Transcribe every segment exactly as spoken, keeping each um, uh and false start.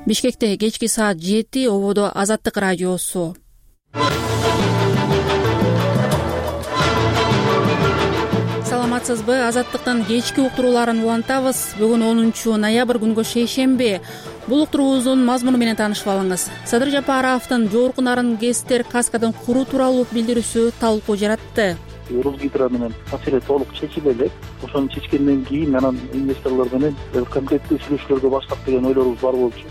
Бишкекте кечки саат жети, ободо Азаттык радиосу. Саламатсызбы? Азаттыктын кечки уктурууларын улантабыз. Бүгүн онунчу ноябрь күнгө шейшемби. Бул уктуруубуздун мазмуну менен таанышып алыңыз. Садыр Жапаровдун жогорку нарын ГЭСтер каскадын куруу тууралуу билдирүүсү талкуу жаратты. Русгидро менен маселе толук чечиле элек. Ошону чечкенден кийин анан инвесторлор менен конкреттүү сүйлөшүүлөргө баштап деген ойлорубуз бар болчу.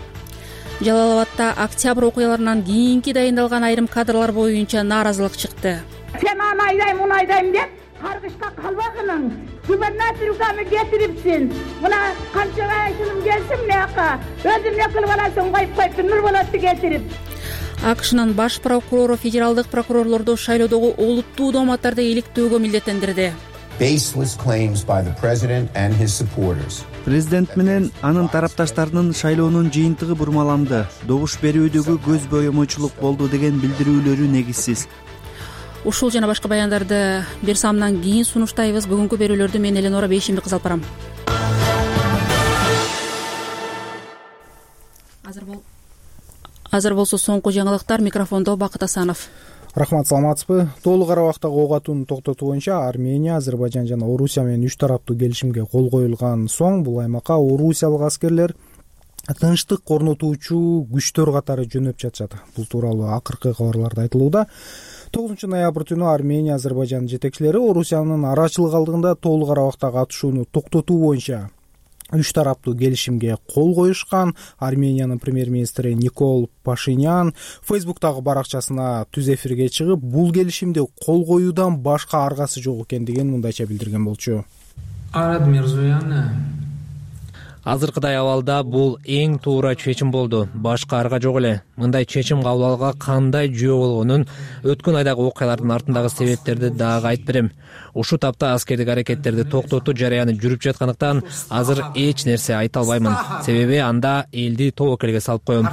Жалал Абадта октябрь окуяларынан кийинки дайындалган айрым кадрлар боюнча нааразылык чыкты. Сен аны айдайм, муну айдайм деп каргышка калбагының. Губернаторга кетирипсин. Мына канча айшыным келсин мыяка. Өзүм экил баласын коюп коюп Нур болотду кетирип. АКШнын баш прокурору федералдык прокурорлорду шайлоодогу олуттуу дооматтарды иликтөөгө милдеттендирди. Президент менен анын тарапташтарынын шайлоонун жыйынтыгы бурмаланды. Добуш берүүдөгү көз боемочулук болду деген билдирүүлөрү негизсиз. Ушул жана башка баяндарды бир самдан кийин сунуштайбыз. Бүгүнкү берүүлөрдү мен Эленора Бейшимби кыз алып барам. Азыр бол Азыр болсо соңку жаңылыктар. Микрофондо Бакыт Асанов. Рахмат, саламатсызбы? Тоолук Карабактагы ок атууну токтотуу боюнча Армения, Азербайжан жана Орусия менен үч тараптуу келишимге кол коюлган соң бул аймакка орусиялык аскерлер тынчтык орнотуучу күчтөр катары жөнөп жатышат. Бул тууралуу акыркы кабарларда айтылууда. тогузунчу ноябрь түнү Армения, Азербайжан жетекчилери Орусиянын арачылык алдыгында Тоолук Карабактагы атышууну токтотуу боюнча үч тараптуу келишимге кол коюшкан. Армениянын премьер-министри Никол Пашинян Фейсбуктагы баракчасына түз эфирге чыгып, бул келишимди кол коюудан башка аргасы жок экендигин мындайча билдирген болчу. Арат Мирзоян Азыркыдай абалда бул эң туура чечим болду. Башка арга жок эле. Мындай чечим кабыл алууга кандай жөө болгонун өткөн айдагы окуялардын артындагы себептерди дагы айтып берем. Ушул тапта аскердик аракеттерди токтотуу жараяны жүрүп жаткандыктан азыр эч нерсе айта албаймын. Себеби анда элди тобокелге салып коем.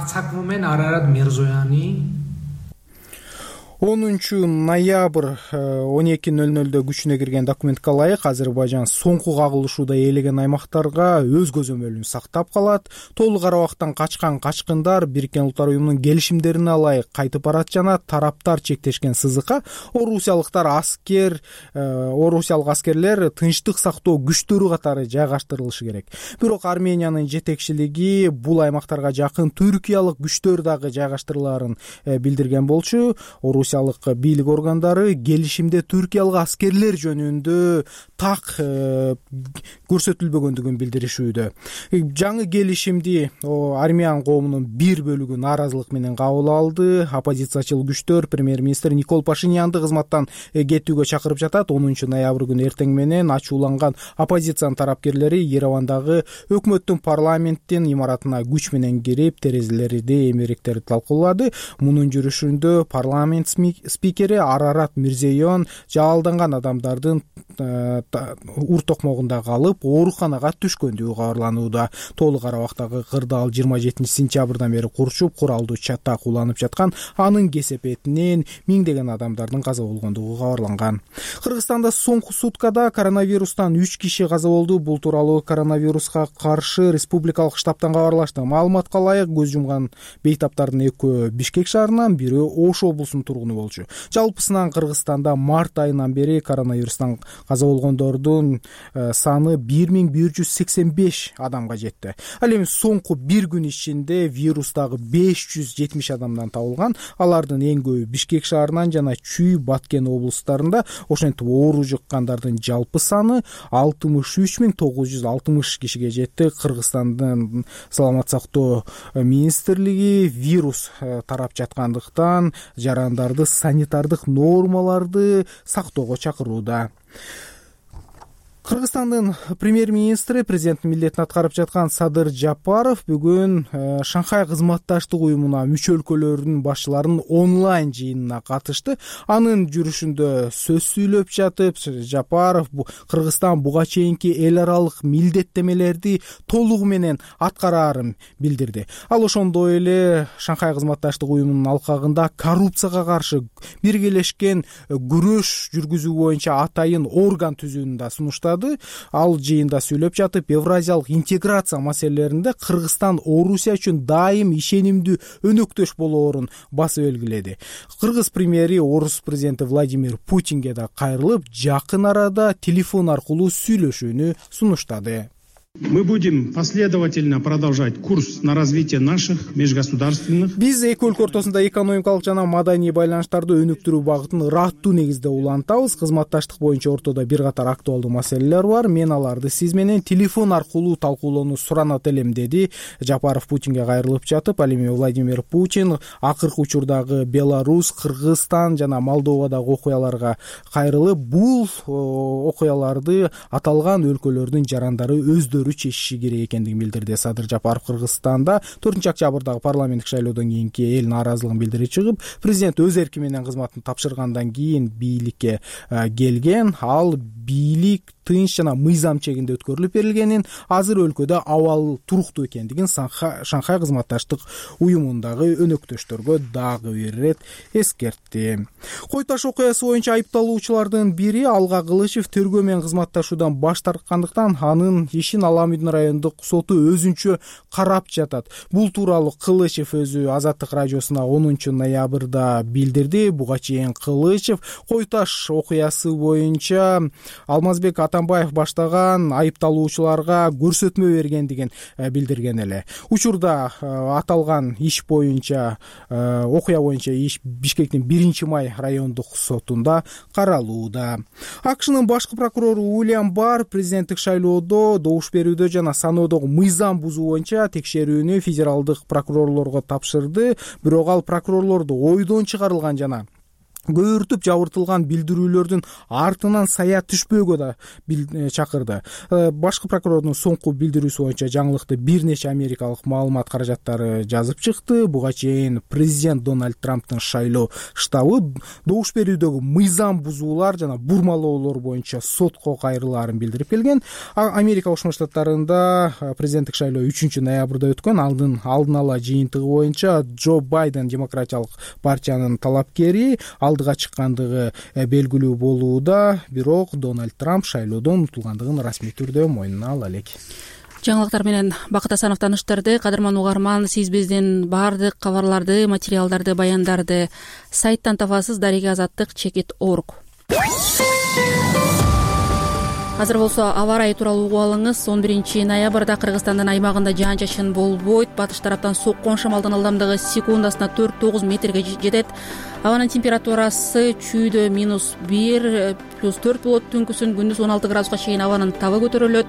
онунчу ноябрь он эки ноль нолдо күчүнө кирген документке ылайык Азербайжан соңку кагылышууда ээлеген аймактарга өз көзөмөлүн сактап калат. Тоолук Карабактан качкан качкындар Бириккен Улуттар уюмунун келишимдерине ылайык кайтып барат жана тараптар чектешкен сызыкка орусиялыктар аскер орусиялык аскерлер тынчтык сактоо күчтөрү катары жайгаштырылышы керек. Бирок Армениянын жетекчилиги бул аймактарга жакын түркиялык күчтөр дагы жайгаштырылаарын билдирген болчу. Орусиялык бийлик органдары келишимде түркиялык аскерлер жөнүндө так көрсөтүлбөгөндүгүн билдиришүүдө. Жаңы келишимди армян коомунун бир бөлүгү нааразылык менен кабыл алды. Оппозициячыл күчтөр премьер-министр Никол Пашинянды кызматтан кетүүгө чакырып жатат. онунчу ноябрь күнү эртең менен ачууланган оппозициянын тарапкерлери Еревандагы өкмөттүн парламенттин имаратына күч менен кирип, терезелерди эмеректерди талкуулады. Мунун жүрүшүндө парламент спикери Арарат Мирзейон жалалданган адамдардын ур токмогунда калып, ооруканага түшкөндүгү кабарланууда. Тоолук Карабактагы кырдаал жыйырма жетинчи сентябрдан бери курчуп, куралдуу чатак уланып жаткан. Анын кесепетинен миңдеген адамдардын каза болгондугу кабарланган. Кыргызстанда соңку суткада коронавирустан үч киши каза болду. Бул тууралуу коронавируска каршы республикалык штабтан кабарлашты. Маалыматка ылайык, көз жумган бейтаптардын экөө Бишкек шаарынан, бири Ош облусунун тургуну болчу. Жалпысынан Кыргызстанда март айынан бери коронавирустан каза болгондордун саны бир миң бир жүз сексен беш адамга жетти. Ал эми соңку бир күн ичинде вирустагы беш жүз жетимиш адамдан табылган. Алардын эң көбү Бишкек шаарынан жана Чүй, Баткен облустарында. Ошентип оору жуккандардын жалпы саны алтымыш үч миң тогуз жүз алтымыш кишиге жетти. Кыргызстандын саламат сактоо министрлиги вирус тарап жаткандыктан жарандарды санитардык нормаларды сактоого чакырууда. Кыргызстандын премьер-министри, президенттин милдетин аткарып жаткан Садыр Жапаров бүгүн Шанхай кызматташтык уюмуна мүчө өлкөлөрдүн башчыларынын онлайн жыйынына катышты. Анын жүрүшүндө сөз сүйлөп жатып, Жапаров Кыргызстан буга чейинки эл аралык милдеттемелерди толугу менен аткараарын билдирди. Ал ошондой эле Шанхай кызматташтык уюмунун алкагында коррупцияга каршы биргелешкен күрөш жүргүзүү боюнча атайын орган түзүүнү да сунуштады. баштады. Ал жыйында сөйлөп жатып, евразиялык интеграция маселелеринде Кыргызстан Орусия үчүн дайым ишенимдүү өнөктөш болоорун басып белгиледи. Кыргыз премьери Орус президенти Владимир Путинге да кайрылып, жакын арада телефон аркылуу сүйлөшүүнү сунуштады. Мы будем последовательно продолжать курс на развитие наших межгосударственных. Биз эки өлкө ортосунда экономикалык жана маданий байланыштарды өнүктүрүү багытын ыраттуу негизде улантабыз. Кызматташтык боюнча ортодо бир катар актуалдуу маселелер бар. Мен аларды сиз менен телефон аркылуу талкуулоону суранат элем, деди Жапаров Путинге кайрылып жатып. Ал эми Владимир Путин акыркы учурдагы Беларусь, Кыргызстан жана Молдовадагы окуяларга кайрылып, бул окуяларды аталган өлкөлөрдүн жарандары өздөрү чечиши керек экендигин билдирди. Садыр Жапаров Кыргызстанда төртүнчү октябрдагы парламенттик шайлоодон кийинки эл нааразылыгын билдире чыгып, президент өз эрки менен кызматын тапшыргандан кийин бийликке келген. Ал бийлик тынч жана мыйзам чегинде өткөрүлүп берилгенин, азыр өлкөдө абал туруктуу экендигин Шанхай кызматташтык уюмундагы өнөктөштөргө дагы бир ирет эскертти. Кой таш окуясы боюнча айыпталуучулардын бири Алга Кылычев тергөө менен кызматташуудан баш тарткандыктан анын ишин Аламүйдүн райондук соту өзүнчө карап жатат. Бул тууралуу Кылычев өзү Азаттык радиосуна онунчу ноябрда билдирди. Буга чейин Кылычев Кой таш окуясы боюнча Алмазбек Атамбаев баштаган айыпталуучуларга көрсөтмө бергендигин билдирген эле. Учурда аталган иш боюнча окуя боюнча иш Бишкектин биринчи май райондук сотунда каралууда. АКШнын башкы прокурору Уильям Барр президенттик шайлоодо добуш берүүдө жана саноодогу мыйзам бузуу боюнча текшерүүнү федералдык прокурорлорго тапшырды. Бирок ал прокурорлорду ойдон чыгарылган жана көөртүп жабыртылган билдирүүлөрдүн артынан сая түшпөөгө да чакырды. Башкы прокурордун соңку билдирүүсү боюнча жаңылыкты бир нече америкалык маалымат каражаттары жазып чыкты. Буга чейин президент Дональд Трамптын шайлоо штабы добуш берүүдөгү мыйзам бузуулар жана бурмалоолор боюнча сотко кайрылаарын билдирип келген. Америка Кошмо Штаттарында президенттик шайлоо үчүнчү ноябрда өткөн. Алдын алдын ала жыйынтыгы боюнча Джо Байден демократиялык партиянын талапкери алдыга чыккандыгы белгилүү болууда, бирок Дональд Трамп шайлоодон утулгандыгын расмий түрдө мойнуна ала элек. Жаңылыктар менен Бакыт Асанов таныштырды. Кадырман угарман, сиз биздин баардык кабарларды, материалдарды, баяндарды сайттан табасыз. дареги азаттык чекит точка орг. Азыр болсо аба ырайы тууралуу угуп алыңыз. он биринчи ноябрда Кыргызстандын аймагында жаан-чачын болбойт. Батыш тараптан соккон шамалдын ылдамдыгы секундасына төрт тогуз метрге жетет. Абанын температурасы чүйдө минус бир плюс төрт болот. Түнкүсүн күндүз он алты градуска чейин абанын табы көтөрүлөт.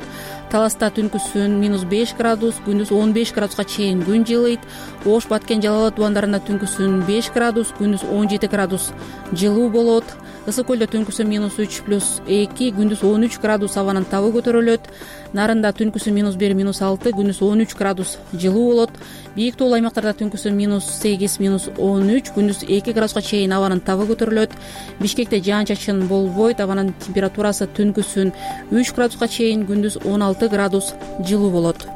Таласта түнкүсүн минус беш градус, күндүз он беш градуска чейин күн жылыйт. Ош, Баткен, Жалал абад тубандарында түнкүсүн беш градус, күндүз он жети градус жылуу болот. Ысык көлдө түнкүсүн минус үч плюс эки, күндүз он үч градус абанын табы көтөрүлөт. Нарында түнкүсүн минус бир минус алты, күндүз он үч градус жылуу болот. Бийик тоолуу аймактарда түнкүсүн минус сегиз минус он үч, күндүз эки градуска чейин абанын табы көтөрүлөт. Бишкекте жаан-чачын болбойт. Абанын температурасы түнкүсүн үч градуска чейин, күндүз он алты градус жылуу болот.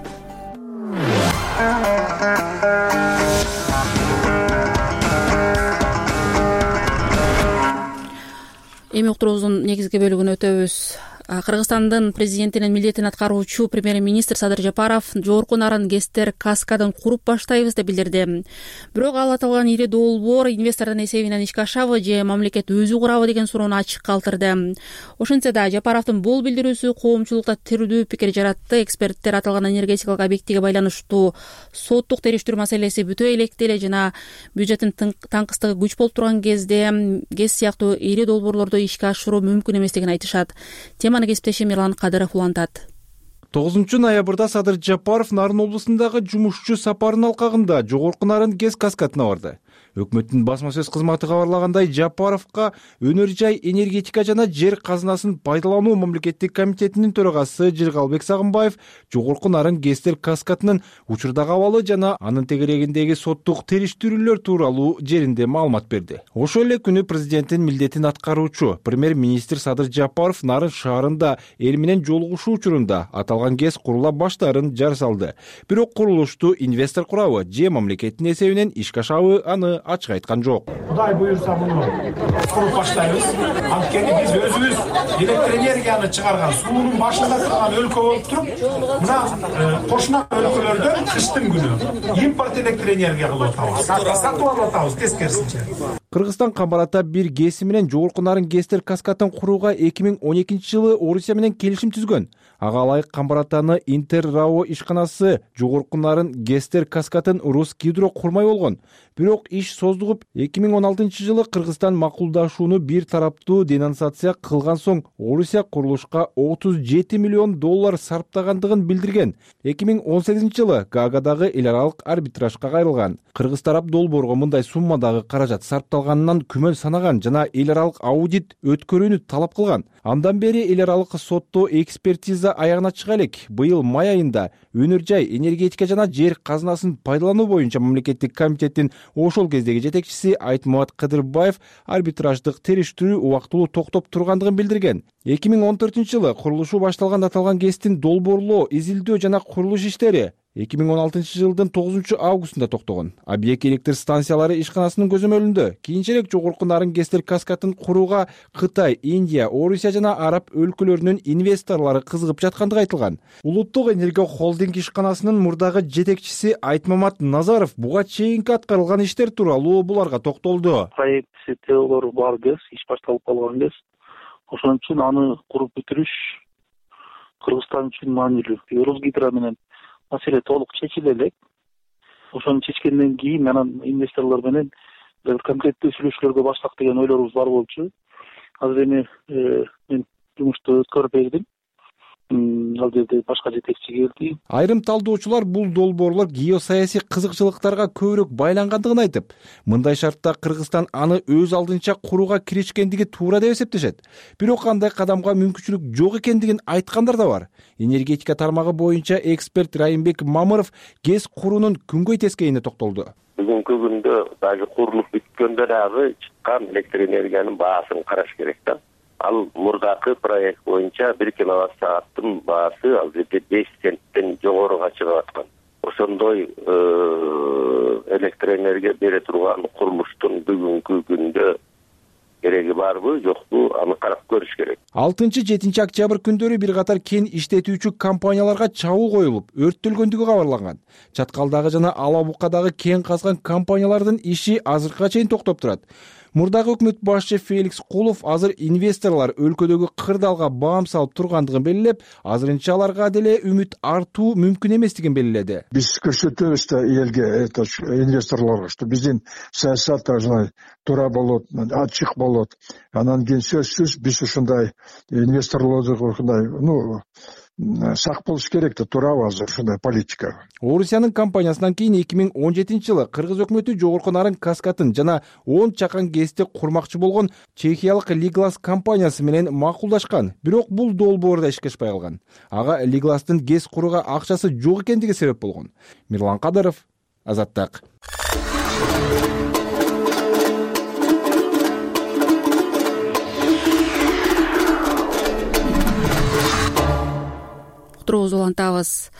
Эми уктуруубуздун негизги бөлүгүнө өтөбүз. Кыргызстандын президентинин милдетин аткаруучу премьер-министр Садыр Жапаров жогорку нарын ГЭСтер каскадын куруп баштайбыз деп билдирди. Бирок ал аталган ири долбоор инвестордун эсебинен ишке ашабы же мамлекет өзү курабы деген суроону ачык калтырды. Ошентсе да Жапаровдун бул билдирүүсү коомчулукта тирдүү пикир жаратты. Эксперттер аталган энергетикалык объектиге байланыштуу соттук териштирүү маселеси бүтө электе эле жана бюджеттин таңкыстыгы күч болуп турган кезде ГЭС сыяктуу ири долбоорлорду ишке ашыруу мүмкүн эместигин айтышат. Теманы кесиптешим Эрлан Кадыров улантат. тогузунчу ноябрда Садыр Жапаров Нарын облусундагы жумушчу сапарынын алкагында жогорку Нарын ГЭС каскадына барды. Өкмөттүн басма сөз кызматы кабарлагандай, Жапаровго өнөр жай, энергетика жана жер казынасын пайдалануу мамлекеттик комитетинин төрагасы Жыргалбек Сагынбаев жогорку Нарын ГЭСтер каскадынын учурдагы абалы жана анын тегерегиндеги соттук териштирүүлөр тууралуу жеринде маалымат берди. Ошол эле күнү президенттин милдетин аткаруучу премьер-министр Садыр Жапаров Нарын шаарында эл менен жолугушуу учурунда аталган ГЭС курула баштаарын жар салды. Бирок курулушту инвестор курабы же мамлекеттин эсебинен ишке ашабы аны ачык айткан жок. Кудай буюрса муну куруп баштайбыз. Анткени биз өзүбүз электр энергияны чыгарган суунун башында турган өлкө болуп туруп, мына кошуна өлкөлөрдөн кыштын күнү импорт электр энергия кылып атабыз. Сатып алып атабыз тескерисинче. Кыргызстан Камбарата бир ГЭСи менен жогорку нарын ГЭСтер каскадын курууга эки миң он экинчи жылы Орусия менен келишим түзгөн. Ага ылайык Камбаратаны Интеррао ишканасы жогорку нарын ГЭСтер каскадын Роскидро курмай болгон. Бирок иш создугуп эки миң он алтынчы жылы Кыргызстан макулдашууну бир тараптуу денонсация кылган соң Орусия курулушка отуз жети миллион доллар сарптагандыгын билдирген. эки миң он сегизинчи жылы Гаагадагы эл аралык арбитражга кайрылган. Кыргыз тарап долбоорго мындай суммадагы каражат сарпталганынан күмөн санаган жана эл аралык аудит өткөрүүнү талап кылган. Андан бери эл аралык сотто экспертиза аягына чыга элек. Быйыл май айында өнөр жай, энергетика жана жер казынасын пайдалануу боюнча мамлекеттик комитеттин ошол кездеги жетекчиси Айтмамат Кадырбаев арбитраждык териштирүү убактылуу токтоп тургандыгын билдирген. эки миң он төртүнчү жылы курулушу башталган аталган ГЭСтин долбоорлоо, изилдөө жана курулуш иштери эки миң он алтынчы жылдын тогузунчу августунда токтогон. Объект электр станциялары ишканасынын көзөмөлүндө кийинчерээк жогорку нарын ГЭСтер каскадын курууга Кытай, Индия, Орусия жана араб өлкөлөрүнүн инвесторлору кызыгып жаткандыгы айтылган. Улуттук энергия холдинг ишканасынын мурдагы жетекчиси Айтмамат Назаров буга чейинки аткарылган иштер тууралуу буларга токтолду. Проектси теолор бар ГЭС, иш башталып калган ГЭС. Ошон үчүн аны куруп бүтүрүш Кыргызстан үчүн маанилүү. Росгидро менен маселе толук чечиле элек. Ошону чечкенден кийин анан инвесторлор менен конкреттүү сүйлөшүүлөргө баштак деген ойлорубуз бар болчу. Азыр эми мен жумушту өткөрүп бердим. Ал жерде башка жетекчи келди. Айрым талдоочулар бул долбоорлор геосаясий кызыкчылыктарга көбүрөөк байлангандыгын айтып, мындай шартта Кыргызстан аны өз алдынча курууга киришкендиги туура деп эсептешет. Бирок андай кадамга мүмкүнчүлүк жок экендигин айткандар да бар. Энергетика тармагы боюнча эксперт Райымбек Мамыров ГЭС куруунун күнгөй тескейине токтолду. Бүгүнкү күндө дагы курулуп бүткөндө дагы чыккан электр энергиянын баасын караш керек да. Ал мурдакы проект боюнча бир киловатт сааттын баасы ал жерде беш центтен жогоруга чыгып аткан. Ошондой электр энергия бере турган курулуштун бүгүнкү күндө кереги барбы, жокпу, аны карап көрүш керек. алтынчы жетинчи октябрь күндөрү бир катар кен иштетүүчү компанияларга чабуул коюлуп, өрттөлгөндүгү кабарланган. Чаткалдагы жана Ала Букадагы кен казган компаниялардын иши азыркыга чейин токтоп турат. Мурдагы өкмөт башчы Феликс Кулов азыр инвесторлор өлкөдөгү кырдаалга баам салып тургандыгын белгилеп, азырынча аларга деле үмүт артуу мүмкүн эместигин белгиледи. Биз көрсөтөбүз да элге, инвесторлорго, что биздин саясат туура болот, ачык болот. Анан кийин сөзсүз биз ушундай инвесторлорду ушундай, ну, сак болуш керек да, туурабы азыр ушундай политика. Орусиянын компаниясынан кийин эки миң он жетинчи жылы Кыргыз өкмөтү жогорку нарын каскадын жана он чакан ГЭСти курмакчы болгон чехиялык Лиглас компаниясы менен макулдашкан. Бирок бул долбоор да ишке ашпай калган. Ага Лигластын ГЭС курууга акчасы жок экендиги себеп болгон. Мирлан Кадыров, Азаттык. Улантабыз.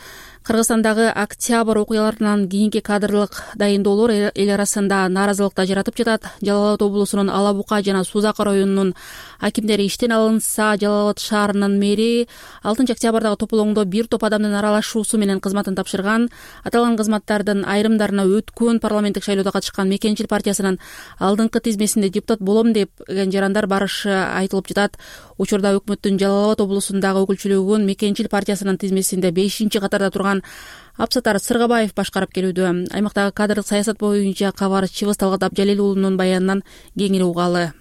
Кыргызстандагы октябрь окуяларынан кийинки кадрлык дайындоолор эл арасында нааразылыкты жаратып жатат. Жалал Абад облусунун Ала Бука жана Сузак районунун акимдери иштен алынса, Жалал Абад шаарынын мэри алтынчы октябрдагы тополоңдо бир топ адамдын аралашуусу менен кызматын тапшырган. Аталган кызматтардын айрымдарына өткөн парламенттик шайлоодо катышкан Мекенчил партиясынын алдыңкы тизмесинде депутат болом деген жарандар барышы айтылып жатат. Учурда өкмөттүн Жалал Абад облусундагы өкүлчүлүгүн Мекенчил партиясынын тизмесинде бешинчи катарда турган Апсатар Сыргабаев башкарып келүүдө. Аймактагы кадрлык саясат боюнча кабарчыбыз Талгат Абжалил уулунун баянынан кеңири угалы.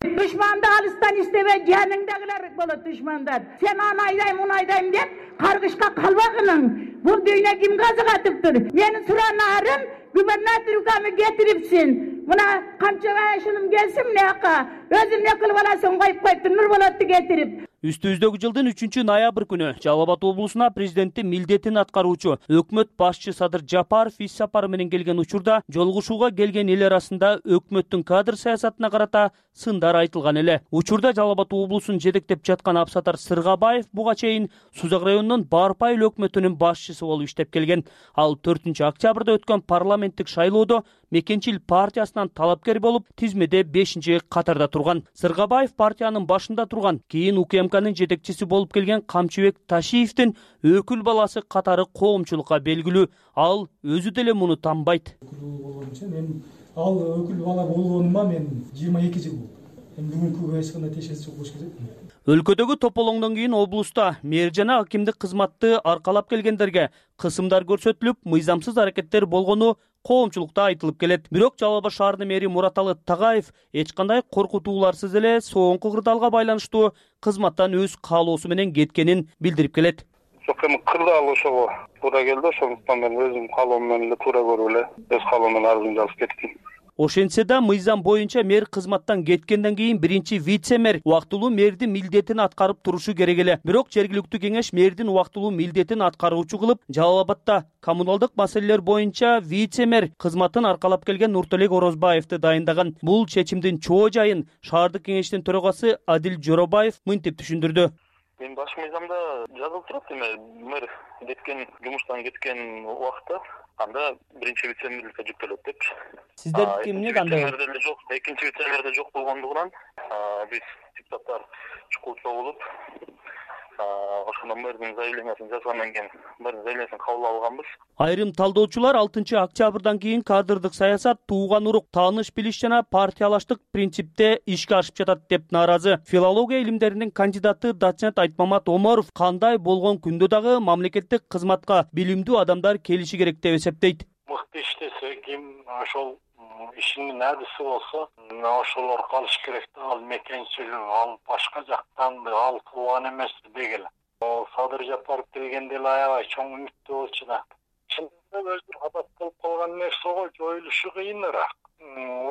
Düşmanды алыстан истебе, жаныңдагылар болот düşmanдар. Сен аны айдайм, муну айдайм деп каргышка калбагының. Бул дүйнө ким казыгатыптыр? Мени суранарым, губернаторга кетирипсин. Мына канча жашым келсин, мынаяка өзүм не кылып аласың, коюп коюптур, Нурболотду кетирип. Үстүбүздөгү жылдын үчүнчү ноябрь күнү Жалал Абад облусуна президенттин милдетин аткаруучу өкмөт башчы Садыр Жапаров иш сапары менен келген учурда жолугушууга келген эл арасында өкмөттүн кадр саясатына карата сындар айтылган эле. Учурда Жалал Абад облусун жетектеп жаткан Абсатар Сыргабаев буга чейин Сузак районунун Барпа айыл өкмөтүнүн башчысы болуп иштеп келген. Ал төртүнчү октябрда өткөн парламенттик шайлоодо Мекенчил партиясынан талапкер болуп, тизмеде бешинчи катарда турган. Сыргабаев партиянын башында турган, кийин УКМКнын жетекчиси болуп келген Камчыбек Ташиевдин өкүл баласы катары коомчулукка белгилүү. Ал өзү деле муну танбайт. Мен ал өкүл бала болгонума мен жыйырма эки жыл болду. Эми бүгүнкү эч кандай тиешеси жок болуш керек. Өлкөдөгү тополоңдон кийин облуста мэр жана акимдик кызматты аркалап келгендерге кысымдар көрсөтүлүп, мыйзамсыз аракеттер болгону коомчулукта айтылып келет. Бирок Жалал Абад шаарынын мэри Мураталы Тагаев эч кандай коркутууларсыз эле соңку кырдаалга байланыштуу кызматтан өз каалоосу менен кеткенин билдирип келет. Жок, эми кырдаал ошого туура келди, ошондуктан мен өзүм каалоом менен эле туура көрүп эле өз каалоом менен арызымды жазып кеттим. Ошентсе да мыйзам боюнча мэр кызматтан кеткенден кийин биринчи вице-мэр убактылуу мэрдин милдетин аткарып турушу керек эле. Бирок жергиликтүү кеңеш мэрдин убактылуу милдетин аткаруучу кылып, Жалал Абадта коммуналдык маселелер боюнча вице-мэр кызматын аркалап келген Нурталек Орозбаевди дайындаган. Бул чечимдин чоо жайын шаардык кеңештин төрагасы Адил Жоробаев мынтип түшүндүрдү. Мен баш мыйзамда жазылып турат, эми мэр кеткен, жумуштан кеткен убакта анда биринчи вице-мэрликке жүктөлөт деп. Сиздердики эмне кандай? Жок, экинчи вице-мэрде жок болгондугунан биз депутаттар чукулчу болуп, ошондо мэрдин заявлениясын жазгандан кийин мэрдин заявлениясын кабыл алганбыз. Айрым талдоочулар алтынчы октябрдан кийин кадрдык саясат тууган урук, тааныш билиш жана партиялаштык принципте ишке ашып жатат деп нааразы. Филология илимдеринин кандидаты доцент Айтмамат Омаров кандай болгон күндө дагы мамлекеттик кызматка билимдүү адамдар келиши керек деп эсептейт. Мыкты иштесе, ким ошол ишинин адиси болсо, ошолор калыш керек да. Ал мекенчил, ал башка жактан, ал тууган эмес дегеле. Ал Садыр Жапаров келгенде эле аябай чоң үмүттүү болчу да. Чындыгында өзү адат болуп калган нерсего жоюлушу кыйыныраак.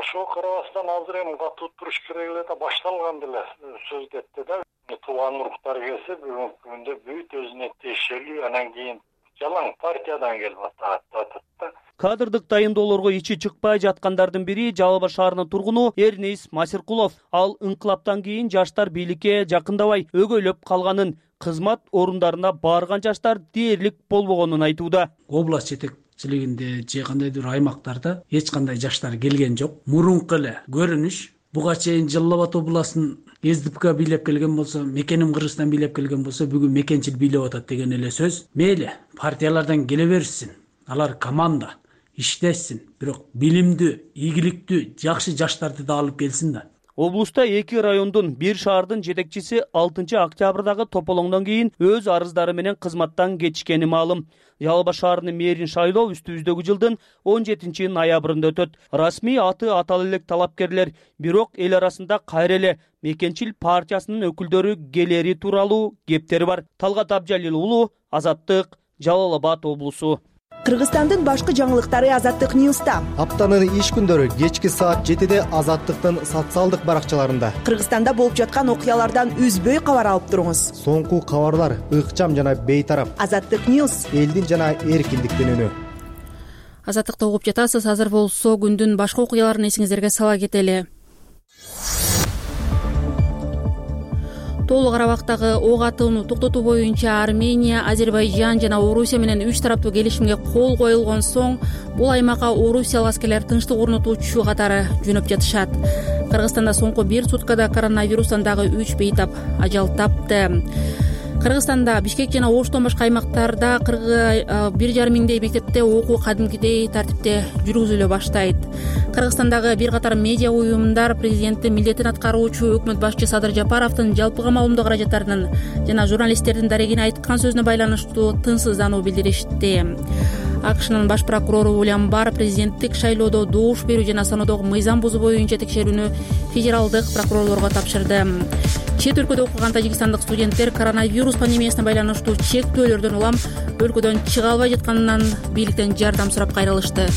Ошого карабастан азыр эми катуу туруш керек эле да, башталган деле сөз кетти да. Тууган уруктар келсе бүгүнкү күндө бүт өзүнө тиешелүү, анан кийин жалаң партиядан келип атат да. Кадрдык дайындоолорго ичи чыкпай жаткандардын бири Жалал Абад шаарынын тургуну Эрнис Масиркулов. Ал инкылаптан кийин жаштар бийликке жакындабай өгөйлөп калганын, кызмат орундарына барган жаштар дээрлик болбогонун айтууда. Область жетекчилигинде же кандайдыр аймактарда эч кандай жаштар келген жок. Мурунку эле көрүнүш. Буга чейин Жалал Абад областын СДПК бийлеп келген болсо, Мекеним Кыргызстан бийлеп келген болсо, бүгүн мекенчил бийлеп атат деген эле сөз. Мейли, партиялардан келе берсин. Алар команда иштесин, бирок билимдүү, ийгиликтүү, жакшы жаштарды да алып келсин да. Облуста эки райондун, бир шаардын жетекчиси алтынчы октябрдагы тополоңдон кийин өз арыздары менен кызматтан кетишкени маалым. Жалал Абад шаарынын мэрин шайлоо үстүбүздөгү жылдын он жетинчи ноябрында өтөт. Расмий аты атала элек талапкерлер, бирок эл арасында кайра эле Мекенчил партиясынын өкүлдөрү келери тууралуу кептери бар. Талгат Абжалил уулу, Азаттык, Жалал Абад облусу. Кыргызстандын башкы жаңылыктары Азаттык Ньюста. Аптанын иш күндөрү кечки саат жетиде Азаттыктын социалдык баракчаларында. Кыргызстанда болуп жаткан окуялардан үзбөй кабар алып туруңуз. Соңку кабарлар ыкчам жана бейтарап. Азаттык Ньюс. Элдин жана эркиндиктин үнү. Азаттыкты угуп жатасыз. Азыр болсо күндүн башка окуяларын эсиңиздерге сала кетели. Тоолук Карабактагы ок атууну токтотуу боюнча Армения, Азербайжан жана Орусия менен үч тараптуу келишимге кол коюлгон соң бул аймакка орусиялык аскерлер тынчтык орнотуучу катары жөнөп жатышат. Кыргызстанда соңку бир суткада коронавирустан дагы үч бейтап ажал тапты. Кыргызстанда Бишкек жана Оштон башка аймактарда бир жарым миңдей мектепте окуу кадимкидей тартипте жүргүзүлө баштайт. Кыргызстандагы бир катар медиа уюмдар президенттин милдетин аткаруучу өкмөт башчы Садыр Жапаровдун жалпыга маалымдоо каражаттарынын жана журналисттердин дарегине айткан сөзүнө байланыштуу тынчсыздануу билдиришти. АКШнын баш прокурору Уильям Барр президенттик шайлоодо добуш берүү жана саноодогу мыйзам бузуу боюнча текшерүүнү федералдык прокурорлорго тапшырды. Чет өлкөдө окуган тажикстандык студенттер коронавирус пандемиясына байланыштуу чектөөлөрдөн улам өлкөдөн чыга албай жатканынан бийликтен жардам сурап кайрылышты.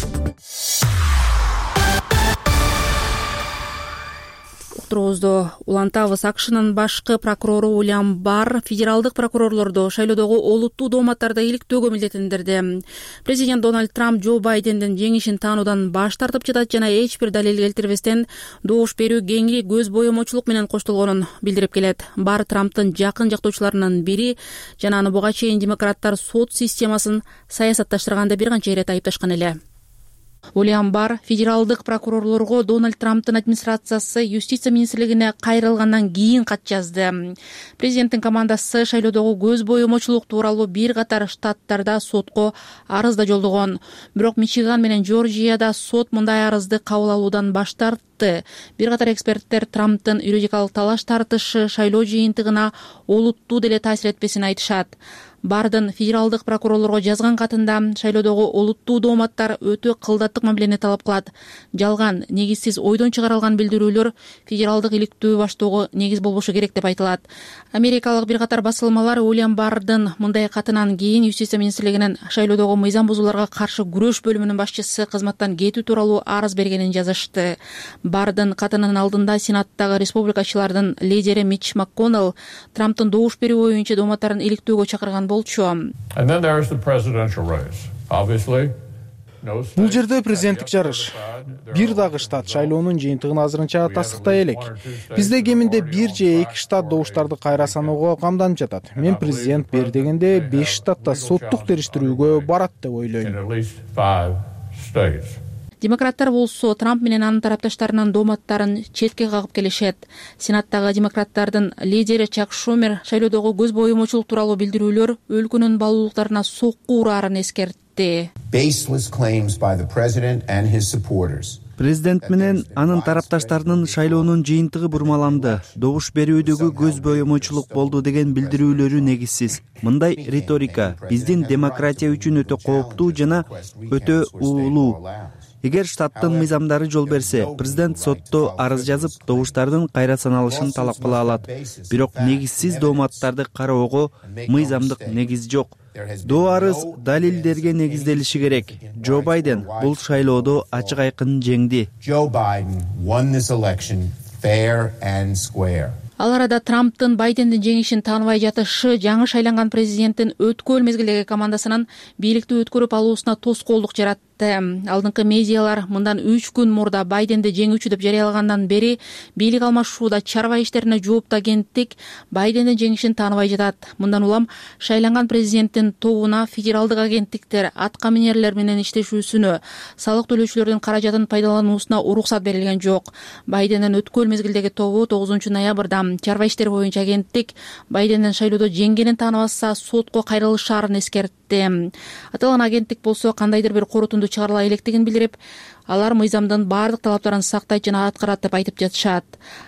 уктуруубузду улантабыз. акшнын башкы прокурору Уильям Барр федералдык прокурорлорду шайлоодогу олуттуу дооматтарды иликтөөгө милдеттендирди. Президент Дональд Трамп Джо Байдендин жеңишин таануудан баш тартып жатат жана эч бир далил келтирбестен добуш берүү кеңири көз боемочулук менен коштолгонун билдирип келет. Барр Трамптын жакын жактоочуларынын бири жана аны буга чейин демократтар сот системасын саясатташтырганда бир канча ирет айыпташкан эле. Уильям Барр федералдык прокурорлорго Дональд Трамптын администрациясы юстиция министрлигине кайрылгандан кийин кат жазды. Президенттин командасы шайлоодогу көз боемочулук тууралуу бир катар штаттарда сотко арыз да жолдогон. Бирок Мичиган менен Жоржияда сот мындай арызды кабыл алуудан баш тартты. Бир катар эксперттер Трамптын юридикалык талаш тартышы шайлоо жыйынтыгына олуттуу деле таасир этпесин айтышат. Бардын федералдык прокурорлорго жазган катында шайлоодогу олуттуу дооматтар өтө кылдаттык мамилени талап кылат. Жалган, негизсиз ойдон чыгарылган билдирүүлөр федералдык иликтөө баштоого негиз болбошу керек деп айтылат. Америкалык бир катар басылмалар Уильям Бардын мындай катынан кийин юстиция министрлигинин шайлоодогу мыйзам бузууларга каршы күрөш бөлүмүнүн башчысы кызматтан кетүү тууралуу арыз бергенин жазышты. Бардын катынын алдында Сенаттагы республикачылардын лидери Митч МакКоннелл Трамптын добуш берүү боюнча дооматтарын иликтөөгө чакырган болчу. Бул жерде президенттик жарыш. Бир дагы штат шайлоонун жыйынтыгын азырынча тастыктай элек. Бизде кеминде бир же эки штат добуштарды кайра саноого камданып жатат. Мен президент бер дегенде беш штатта соттук териштирүүгө барат деп ойлойм. Демократтар болсо Трамп менен анын тарапташтарынын дооматтарын четке кагып келишет. Сенаттагы демократтардын лидери Чак Шумер шайлоодогу көз боемочулук тууралуу билдирүүлөр өлкөнүн баалуулуктарына сокку ураарын эскертти. Президент менен анын тарапташтарынын шайлоонун жыйынтыгы бурмаланды, добуш берүүдөгү көз боемочулук болду деген билдирүүлөрү негизсиз. Мындай риторика биздин демократия үчүн өтө кооптуу жана өтө уулуу. Эгер штаттын мыйзамдары жол берсе, президент сотто арыз жазып, добуштардын кайра саналышын талап кыла алат. Бирок негизсиз дооматтарды кароого мыйзамдык негиз жок. Доо арыз далилдерге негизделиши керек. Джо Байден бул шайлоодо ачык айкын жеңди. Ал арада Трамптын Байдендин жеңишин тааныбай жатышы жаңы шайланган президенттин өткөл мезгилдеги командасынын бийликти өткөрүп алуусуна тоскоолдук жаратты. Алдыңкы медиалар мындан үч күн мурда Байденди жеңүүчү деп жарыялагандан бери бийлик алмашууда чарба иштерине жооптуу агенттик Байдендин жеңишин тааныбай жатат. Мындан улам шайланган президенттин тобуна федералдык агенттиктер атка минерлер менен иштешүүсүнө, салык төлөөчүлөрдүн каражатын пайдалануусуна уруксат берилген жок. Байдендин өткөл мезгилдеги тобу тогузунчу ноябрда чарба иштери боюнча агенттик Байдендин шайлоодо жеңгенин тааныбаса сотко кайрылышаарын эскертти. Аталган агенттик болсо кандайдыр бир корутунду чыгарыла электигин билдирип, алар мыйзамдын баардык талаптарын сактайт жана аткарат деп айтып жатышат.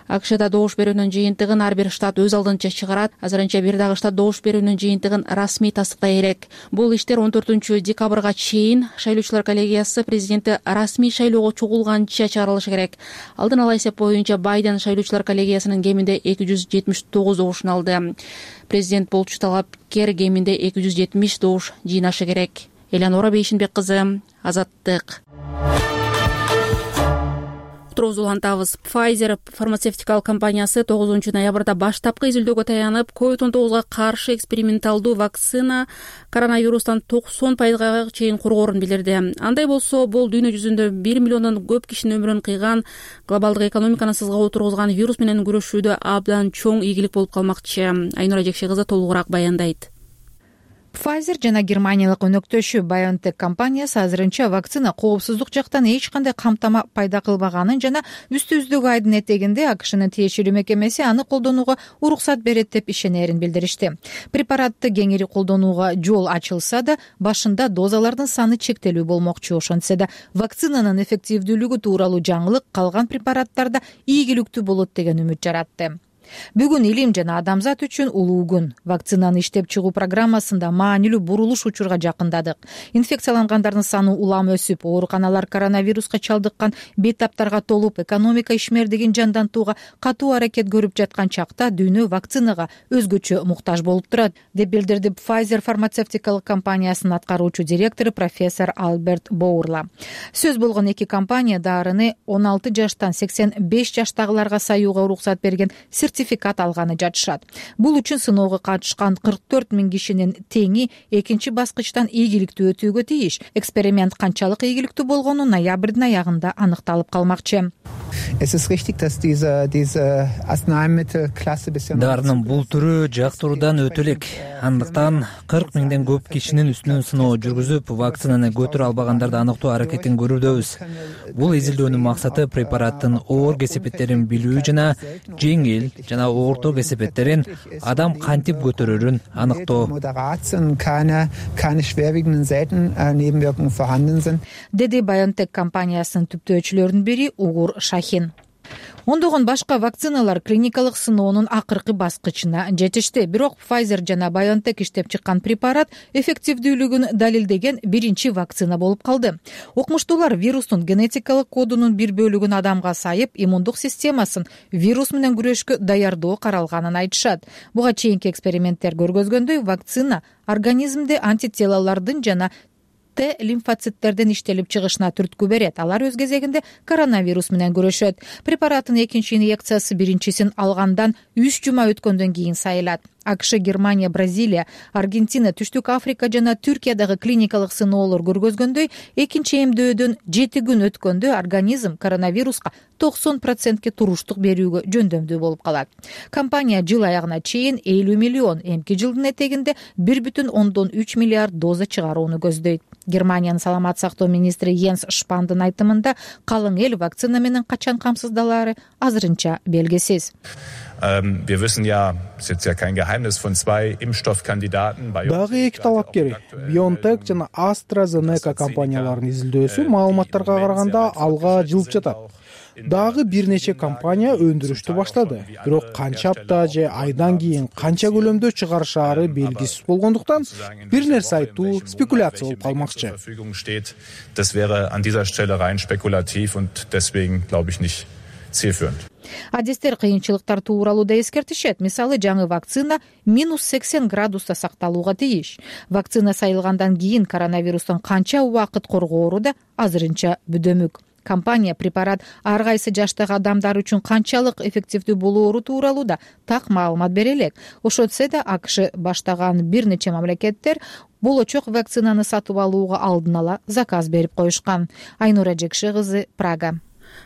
АКШда добуш берүүнүн жыйынтыгын ар бир штат өз алдынча чыгарат. Азырынча бир дагы штат добуш берүүнүн жыйынтыгын расмий тастыктай элек. Бул иштер он төртүнчү декабрга чейин шайлоочулар коллегиясы президентти расмий шайлоого чогулганча чыгарылышы керек. Алдын ала эсеп боюнча Байден шайлоочулар коллегиясынын кеминде эки жүз жетимиш тогуз добушун алды. Президент болчу талапкер кеминде эки жүз жетимиш добуш жыйнашы керек. Элеонора Бейшинбек кызы, Азаттык. Уктуруубузду улантабыз. Pfizer фармацевтикалык компаниясы тогузунчу ноябрда баштапкы изилдөөгө таянып, ковид он тогузга каршы эксперименталдуу вакцина коронавирустан токсон пайызга чейин коргоорун билдирди. Андай болсо, бул дүйнө жүзүндө бир миллиондон көп кишинин өмүрүн кыйган, глобалдык экономиканы сызга тургузган вирус менен күрөшүүдө абдан чоң ийгилик болуп калмакчы. Айнура Жекши кызы толугураак баяндайт. Pfizer жана германиялык өнөктөшү BioNTech компаниясы азырынча вакцина коопсуздук жактан эч кандай камтама пайда кылбаганын жана үстүбүздөгү айдын этегинде АКШнын тиешелүү мекемеси аны колдонууга уруксат берет деп ишенерин билдиришти. Препаратты кеңири колдонууга жол ачылса да, башында дозалардын саны чектелүү болмокчу. Ошентсе да, вакцинанын эффективдүүлүгү тууралуу жаңылык калган препараттарда ийгиликтүү болот деген үмүт жаратты. Бүгүн илим жана адамзат үчүн улуу күн. Вакцинаны иштеп чыгуу программасында маанилүү бурулуш учурга жакындадык. Инфекциялангандардын саны улам өсүп, ооруканалар коронавируска чалдыккан бейтаптарга толуп, экономика ишмердигин жандантууга катуу аракет көрүп жаткан чакта дүйнө вакцинага өзгөчө муктаж болуп турат, деп билдирди Pfizer фармацевтикалык компаниясынын аткаруучу директору профессор Альберт Боурла. Сөз болгон эки компания дарыны он алты жаштан сексен беш жаштагыларга саюуга уруксат берген сертификат алганы жатышат. Бул үчүн сыноого катышкан кырк төрт миң кишинин теңи экинчи баскычтан ийгиликтүү өтүүгө тийиш. Эксперимент канчалык ийгиликтүү болгону ноябрдын аягында аныкталып калмакчы. Дарынын бул түрү жактыруудан өтө элек. Андыктан кырк миңден көп кишинин үстүнөн сыноо жүргүзүп, вакцинаны көтөрө албагандарды аныктоо аракетин көрүүдөбүз. Бул изилдөөнүн максаты препараттын оор кесепеттерин билүү жана жеңил жана орто кесепеттерин адам кантип көтөрөрүн аныктоо. Деди BioNTech компаниясынын түптөөчүлөрүнүн бири Угур Шахин. Ондогон башка вакциналар клиникалык сыноонун акыркы баскычына жетишти. Бирок Pfizer жана BioNTech иштеп чыккан препарат эффективдүүлүгүн далилдеген биринчи вакцина болуп калды. Окумуштуулар вирустун генетикалык кодунун бир бөлүгүн адамга сайып, иммундук системасын вирус менен күрөшкө даярдоо каралганын айтышат. Буга чейинки эксперименттер көргөзгөндөй, вакцина организмде антителолордун жана Т лимфоциттердин иштелип чыгышына түрткү берет. Алар өз кезегинде коронавирус менен күрөшөт. Препараттын экинчи инъекциясы биринчисин алгандан үч жума өткөндөн кийин сайылат. АКШ, Германия, Бразилия, Аргентина, Түштүк Африка жана Түркиядагы клиникалык сыноолор көргөзгөндөй, экинчи эмдөөдөн жети күн өткөндө организм коронавируска токсон процентке туруштук берүүгө жөндөмдүү болуп калат. Компания жыл аягына чейин элүү миллион, эмки жылдын этегинде бир бүтүн ондон үч миллиард доза чыгарууну көздөйт. Германиянын саламат сактоо министри Йенс Шпандын айтымында, калың эл вакцина менен качан камсыздалаары азырынча белгисиз. Wir wissen ja, es ist ja kein Geheimnis von zwei Impfstoffkandidaten. Дагы эки талапкер BioNTech жана AstraZeneca компанияларынын изилдөөсү маалыматтарга караганда алга жылып жатат. Дагы бир нече компания өндүрүштү баштады. Бирок канча апта же айдан кийин канча көлөмдө чыгарышаары белгисиз болгондуктан бир нерсе айтуу спекуляция болуп калмакчы. Das wäre an dieser Stelle rein spekulativ und deswegen glaube ich nicht zielführend. Адистер кыйынчылыктар тууралууда эскертишет. Мисалы, жаңы вакцина минус сексен градуста сакталууга тийиш. Вакцина сайылгандан кийин коронавирустан канча убакыт коргоору да азырынча бүдөмүк. Компания препарат ар кайсы жаштагы адамдар үчүн канчалык эффективдүү болоору тууралууда так маалымат бере элек. Ошентсе да АКШ баштаган бир нече мамлекеттер болочок вакцинаны сатып алууга алдын ала заказ берип коюшкан. Айнура Жекши кызы, Прага.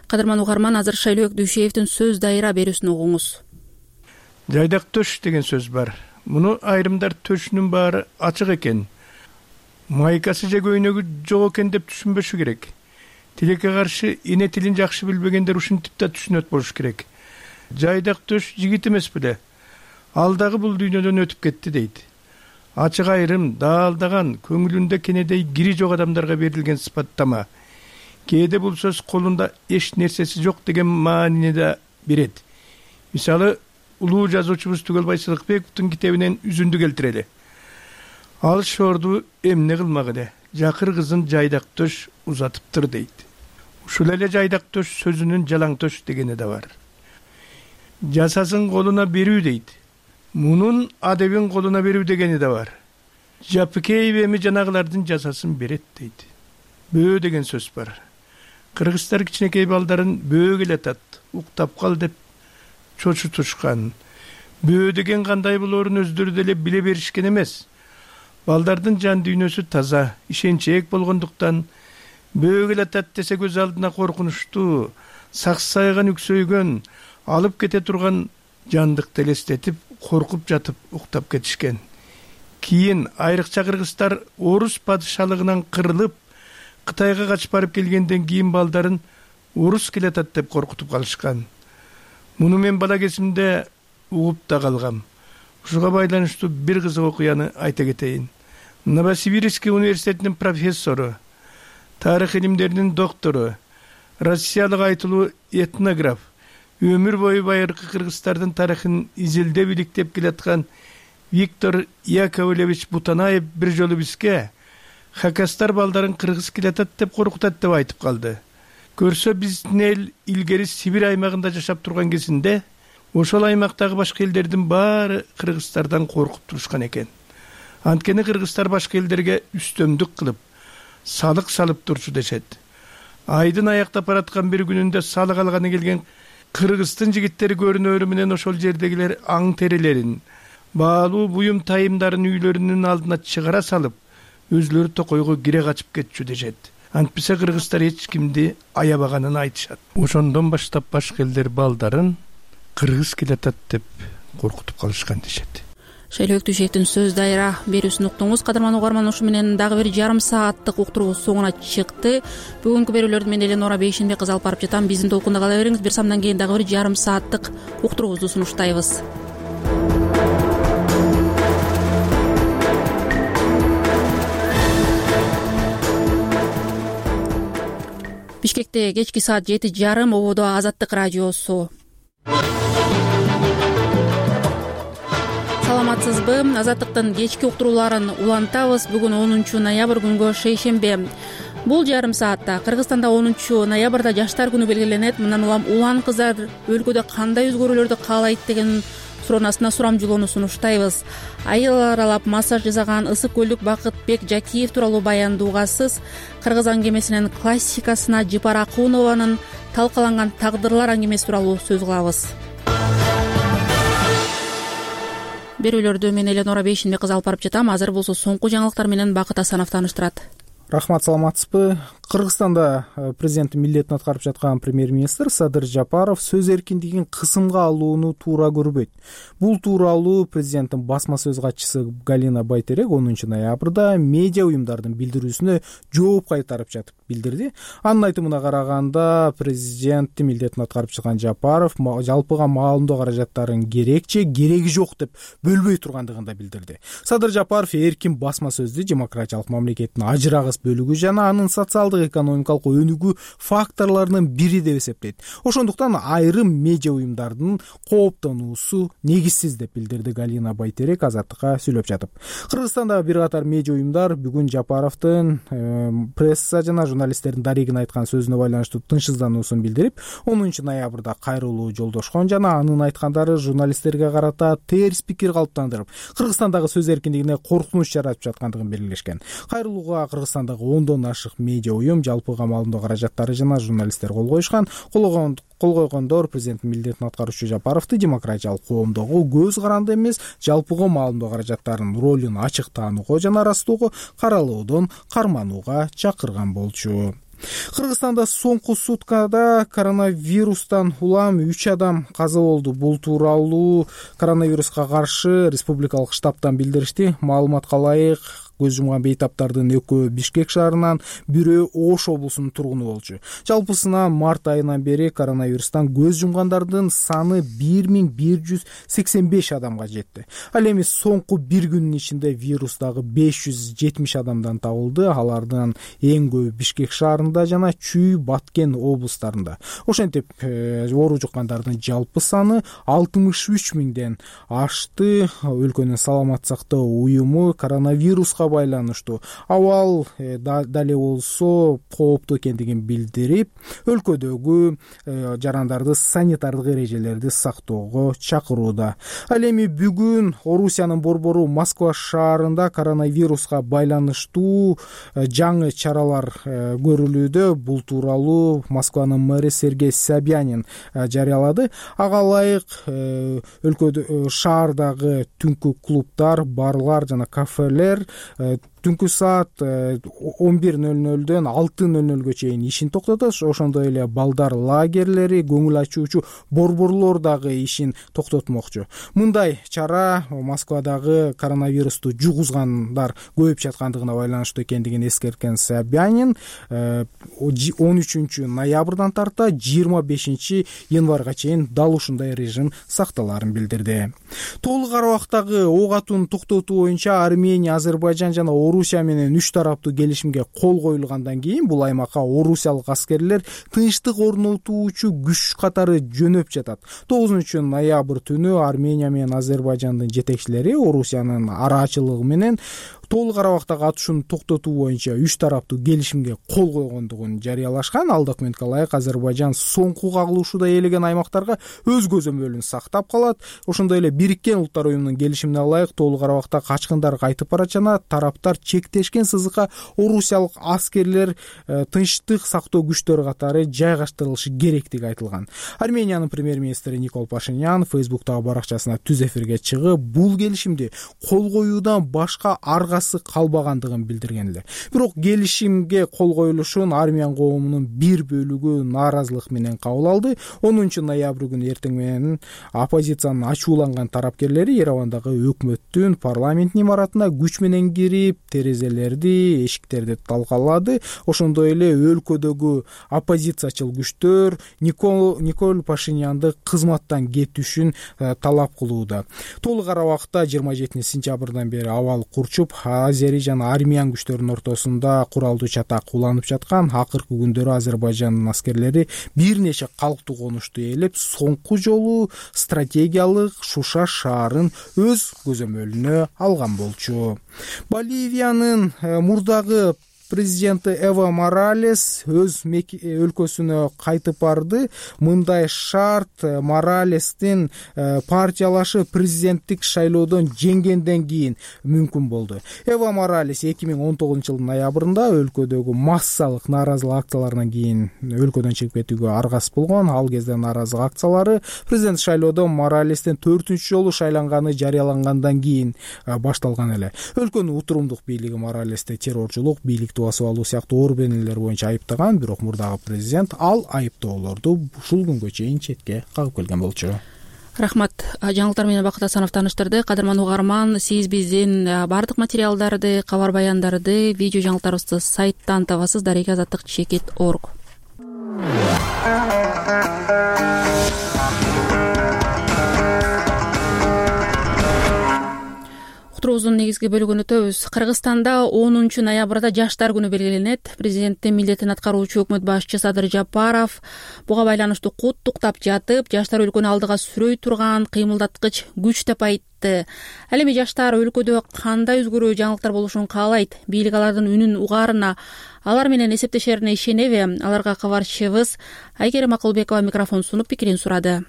Кадырман угарман, азыр Шайлоок Дүйшеевдин сөз дайыра берүүсүн угуңуз. Жайдак төш деген сөз бар. Муну айрымдар төшүнүн баары ачык экен. Майкасы же көйнөгү жок экен деп түшүнбөшү керек. Тилекке каршы эне тилин жакшы билбегендер ушинтип да түшүнөт болуш керек. Жайдак төш жигит эмес беле. Ал дагы бул дүйнөдөн өтүп кетти дейт. Ачык айрым, даалдаган, көңүлүндө кенедей кири жок адамдарга берилген сыпаттама. Кээде бул сөз колунда эч нерсеси жок деген маанини да берет. Мисалы, улуу жазуучубуз Түгөлбай Сыдыкбековдун китебинен үзүндү келтирели. Ал шорду эмне кылмак эле, жакыр кызын жайдак төш узатыптыр дейт. Ушул эле жайдак төш сөзүнүн жалаң төш дегени да бар. Жасасын колуна берүү дейт. Мунун адебин колуна берүү дегени да бар. Жапыкеев эми жанагылардын жасасын берет дейт. Бөө деген сөз бар. Кыргыздар кичинекей балдарын бөө келатат, уктап кал деп чочутушкан. Бөө деген кандай болоорун өздөрү деле биле беришкен эмес. Балдардын жан дүйнөсү таза, ишенчээк болгондуктан бөө келатат десе көз алдына коркунучтуу, саксайган үксөйгөн, алып кете турган жандыкты элестетип, коркуп жатып уктап кетишкен. Кийин айрыкча кыргыздар орус падышалыгынан кырылып, Кытайга качып барып келгенден кийин балдарын орус келатат деп коркутуп калышкан. Муну мен бала кезимде угуп да калгам. Ушуга байланыштуу бир кызык окуяны айта кетейин. Новосибирский университетинин профессору, тарых илимдеринин доктору, Россиялык айтылуу этнограф, өмүр бою байыркы Кыргыздардын тарыхын изилдеп иликтеп келаткан Виктор Яковлевич Бутанаев бир жолу бизге хакастар балдарын кыргыз келатат деп коркутат деп айтып калды. Көрсө биздин эл илгери Сибирь аймагында жашап турган кезинде ошол аймактагы башка элдердин баары кыргыздардан коркуп турушкан экен. Анткени кыргыздар башка элдерге үстөмдүк кылып, салык салып турчу дешет. Айдын аяктап бараткан бир күнүндө салык алганы келген кыргыздын жигиттери көрүнөрү менен ошол жердегилер аң терилерин, баалуу буюм тайымдарын үйлөрүнүн алдына чыгара салып, өзлөрү токойго кире качып кетчү дешет. Антпесе кыргыздар эч кимди аябаганын айтышат. Ошондон баштап башка элдер балдарын кыргыз келатат деп коркутуп калышкан дешет. Шайлоо Өктүшевдин сөз дайра берүүсүн уктуңуз. Кадырман угарман, ушу менен дагы бир жарым сааттык уктуруубуз соңуна чыкты. Бүгүнкү берүүлөрдү мен Эленора Бейшенбек кызы алып барып жатам. Биздин толкунда кала бериңиз. Бир самдан кийин дагы бир жарым сааттык уктуруубузду сунуштайбыз. Бишкекте кечки саат жети жарым, ободо Азаттык радиосу. Саламатсызбы? Азаттыктын кечки уктурууларын улантабыз. Бүгүн онунчу ноябрь күнгө шейшембе. Бул жарым саатта Кыргызстанда онунчу ноябрда жаштар күнү белгиленет. Мындан улам улан кыздар өлкөдө кандай өзгөрүүлөрдү каалайт деген суроонун астына сурамжылоону сунуштайбыз. Айыл аралап массаж жасаган ысык көлдүк Бакытбек Жакиев тууралуу баяндуугасыз, кыргыз аңгемесинин классикасына Жыпар Акунованын талкаланган тагдырлар аңгемеси тууралуу сөз кылабыз. Берүүлөрдү мен Эленора Бейшенбек кызы алып барып жатам. Азыр болсо соңку жаңылыктар менен Бакыт Асанов тааныштырат. Рахмат, саламатсызбы? Кыргызстанда президенттин милдетин аткарып жаткан премьер-министр Садыр Жапаров сөз эркиндигин кысымга алууну туура көрбөйт. Бул тууралуу президенттин басма сөз катчысы Галина Байтерек онунчу ноябрда медиа уюмдардын билдирүүсүнө жооп кайтарып жатып билдирди. Анын айтымына караганда, президенттин милдетин аткарып жаткан Жапаров жалпыга маалымдоо каражаттарын керекче, кереги жок деп бөлбөй тургандыгын да билдирди. Садыр Жапаров эркин басма сөздү демократиялык мамлекеттин ажырагыс бөлүгү жана анын социалдык экономикалык өнүгүү факторлорунун бири деп эсептейт. Ошондуктан айрым медиа уюмдардын кооптонуусу негизсиз деп билдирди Галина Байтерек Азаттыкка сүйлөп жатып. Кыргызстандагы бир катар медиа уюмдар бүгүн Жапаровдун э, пресса жана журналисттердин дарегин айткан сөзүнө байланыштуу тынчсыздануусун билдирип, онунчу ноябрда кайрылуу жолдошкон жана анын айткандары журналисттерге карата терс пикир калыптандырып, Кыргызстандагы сөз эркиндигине коркунуч жаратып жаткандыгын белгилешкен. Кайрылууга Кыргызстандагы ондон ашык медиа уюм, жалпыга маалымдоо каражаттары жана журналисттер кол коюшкан. Кол койгондор президенттин милдетин аткаруучу Жапаровду демократиялык коомдогу көз каранды эмес, жалпыга маалымдоо каражаттарынын ролун ачык таанууга жана ырастоого, каралоодон карманууга чакырган болчу. Кыргызстанда соңку суткада коронавирустан улам үч адам каза болду. Бул тууралуу коронавируска каршы республикалык штабтан билдиришти. Маалыматка ылайык, көз жумган бейтаптардын экөө Бишкек шаарынан, бирөө Ош облусунун тургуну болчу. Жалпысына март айынан бери коронавирустан көз жумгандардын саны бир миң бир жүз сексен беш адамга жетти. Ал эми соңку бир күнүн ичинде вирус дагы беш жүз жетимиш адамдан табылды. Алардын эң көбү Бишкек шаарында жана Чүй, Баткен облустарында. Ошентип, оору жуккандардын жалпы саны алтымыш үч миңден ашты. Өлкөнүн саламат сактоо уюму коронавируска байланыштуу абал э, дале болсо кооптуу экендигин билдирип, өлкөдөгү э, жарандарды санитардык эрежелерди сактоого чакырууда. Ал эми бүгүн Орусиянын борбору Москва шаарында коронавируска байланыштуу э, жаңы чаралар э, көрүлүүдө. Бул тууралуу Москванын мэри Сергей Собянин э, жарыялады. Ага ылайык э, өлкөдө э, шаардагы түнкү клубдар, барлар жана кафелер түнкү саат он бир нөл нөлдөн алты нөл нөлгө чейин ишин токтотот. Ошондой эле балдар лагерлери, көңүл ачуучу борборлор дагы ишин токтотмокчу. Мындай чара Москвадагы коронавирусту жугузгандар көбөйүп жаткандыгына байланыштуу экендигин эскерткен Собянин он үчүнчү ноябрдан тарта жыйырма бешинчи январга чейин дал ушундай режим сакталаарын билдирди. Толук арабактагы ок атууну токтотуу боюнча Армения, Азербайжан жана Орусия менен үч тараптуу келишимге кол коюлгандан кийин бул аймакка орусиялык аскерлер тынчтык орнотуучу күч катары жөнөп жатат. тогузунчу ноябрь түнү Армения менен Азербайжандын жетекчилери Орусиянын арачылыгы менен толук Карабактагы атышууну токтотуу боюнча үч тараптуу келишимге кол койгондугун жарыялашкан. Ал документке ылайык Азербайжан соңку кагылышууда ээлеген аймактарга өз көзөмөлүн сактап калат. Ошондой эле Бириккен Улуттар уюмунун келишимине ылайык толук Карабакта качкындар кайтып барат жана тараптар чектешкен сызыкка орусиялык аскерлер тынчтык сактоо күчтөрү катары жайгаштырылышы керектиги айтылган. Армениянын премьер-министри Никол Пашинян Фейсбуктагы баракчасына түз эфирге чыгып, бул келишимди кол коюудан башка арга калбагандыгын билдирген эле. Бирок келишимге кол коюлушун армян коомунун бир бөлүгү нааразылык менен кабыл алды. онунчу ноябрь күнү эртең менен оппозициянын ачууланган тарапкерлери Еревандагы өкмөттүн парламент имаратына күч менен кирип, терезелерди, эшиктерди талкалады. Ошондой эле өлкөдөгү оппозициячыл күчтөр Никол Никол Пашинянды кызматтан кетишин талап кылууда. Толук Карабакта жыйырма жетинчи сентябрдан бери абал курчуп, Азери жана армян күчтөрүнүн ортосунда куралдуу чатак уланып жаткан. Акыркы күндөрү Азербайжандын аскерлери бир нече калктуу конушту ээлеп, соңку жолу стратегиялык Шуша шаарын өз көзөмөлүнө алган болчу. Боливиянын мурдагы президенти Эва Моралес өз өлкөсүнө кайтып барды. Мындай шарт Моралестин партиялашы президенттик шайлоодон жеңгенден кийин мүмкүн болду. Эва Моралес эки миң он тогузунчу жылдын ноябрында өлкөдөгү массалык нааразылык акцияларынан кийин өлкөдөн чыгып кетүүгө аргасыз болгон. Ал кезде нааразылык акциялары президент шайлоодон Моралестин төртүнчү жолу шайланганы жарыялангандан кийин башталган эле. Өлкөнүн утурумдук бийлиги Моралести террорчулук, бийликти басып алуу сыяктуу оор бенелер боюнча айыптаган, бирок мурдагы президент ал айыптоолорду ушул күнгө чейин четке кагып келген болчу. Рахмат. Жаңылыктар менен Бакыт Асанов тааныштырды. Кадырман угарман, сиз биздин бардык материалдарды, кабар баяндарды, видео жаңылыктарыбызды сайттан табасыз. дарега азаттык чекит точка орг. Уктуруубуздун негизги бөлүгүн өтөбүз. Кыргызстанда онунчу ноябрда жаштар күнү белгиленет. Президенттин милдетин аткаруучу өкмөт башчы Садыр Жапаров буга байланыштуу куттуктап жатып, жаштар өлкөнү алдыга сүрөй турган кыймылдаткыч күч деп айтты. Ал эми жаштар өлкөдө кандай өзгөрүү жаңылыктар болушун каалайт? Бийлик алардын үнүн угаарына, алар менен эсептешерине ишенеби? Аларга кабарчыбыз Айкерим Акылбекова микрофон сунуп пикирин сурады.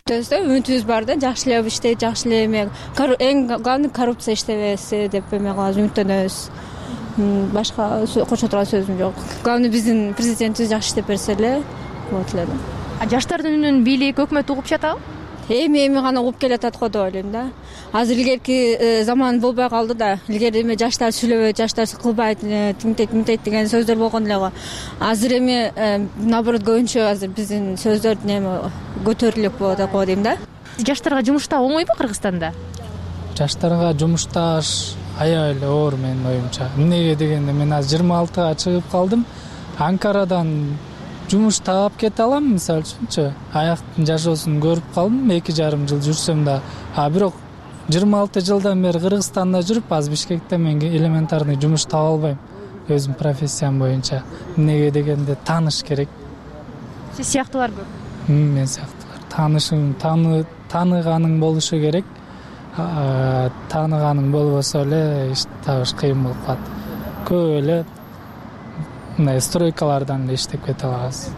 Үмүтүбүз бар да, жакшы эле иштейт, жакшы эле эме. Эң главный коррупция иштебесе деп эме кылабыз, үмүттөнөбүз. Башка кошо турган сөзүм жок. Главный биздин президентибиз жакшы иштеп берсе эле болот эле да. А жаштардын үнүн бийлик, өкмөт угуп жатабы? Эми эми гана угуп келатат го деп ойлойм да. Азыр илгерки заман болбой калды да. Илгери эми жаштар сүйлөбөйт, жаштар кылбайт, тинтейт, мынтейт деген сөздөр болгон эле го. Азыр эми наоборот көбүнчө азыр биздин сөздөр неме көтөрүлүп болот го дейм да. Жаштарга жумуштаа оңойбу Кыргызстанда? Жаштарга жумушташ аябай эле оор менин оюмча. Эмнеге дегенде мен азыр жыйырма алтыга чыгып калдым. Анкарадан жумуш таап кете алам, мисалы үчүнчү. Аяктын жашоосун көрүп калдым, эки жарым жыл жүрсөм да. А бирок жыйырма алты жылдан бери Кыргызстанда жүрүп, азыр Бишкекте мен элементарный жумуш таба албайм өзүм профессиям боюнча. Эмнеге дегенде тааныш керек. Сиз сыяктуулар көп. Мен сыяктуулар. Таанышың, таны тааныганың болушу керек. Тааныганың болбосо эле иш табыш кыйын болуп калат. Көп эле мындай стройкалардан эле иштеп кете алабыз.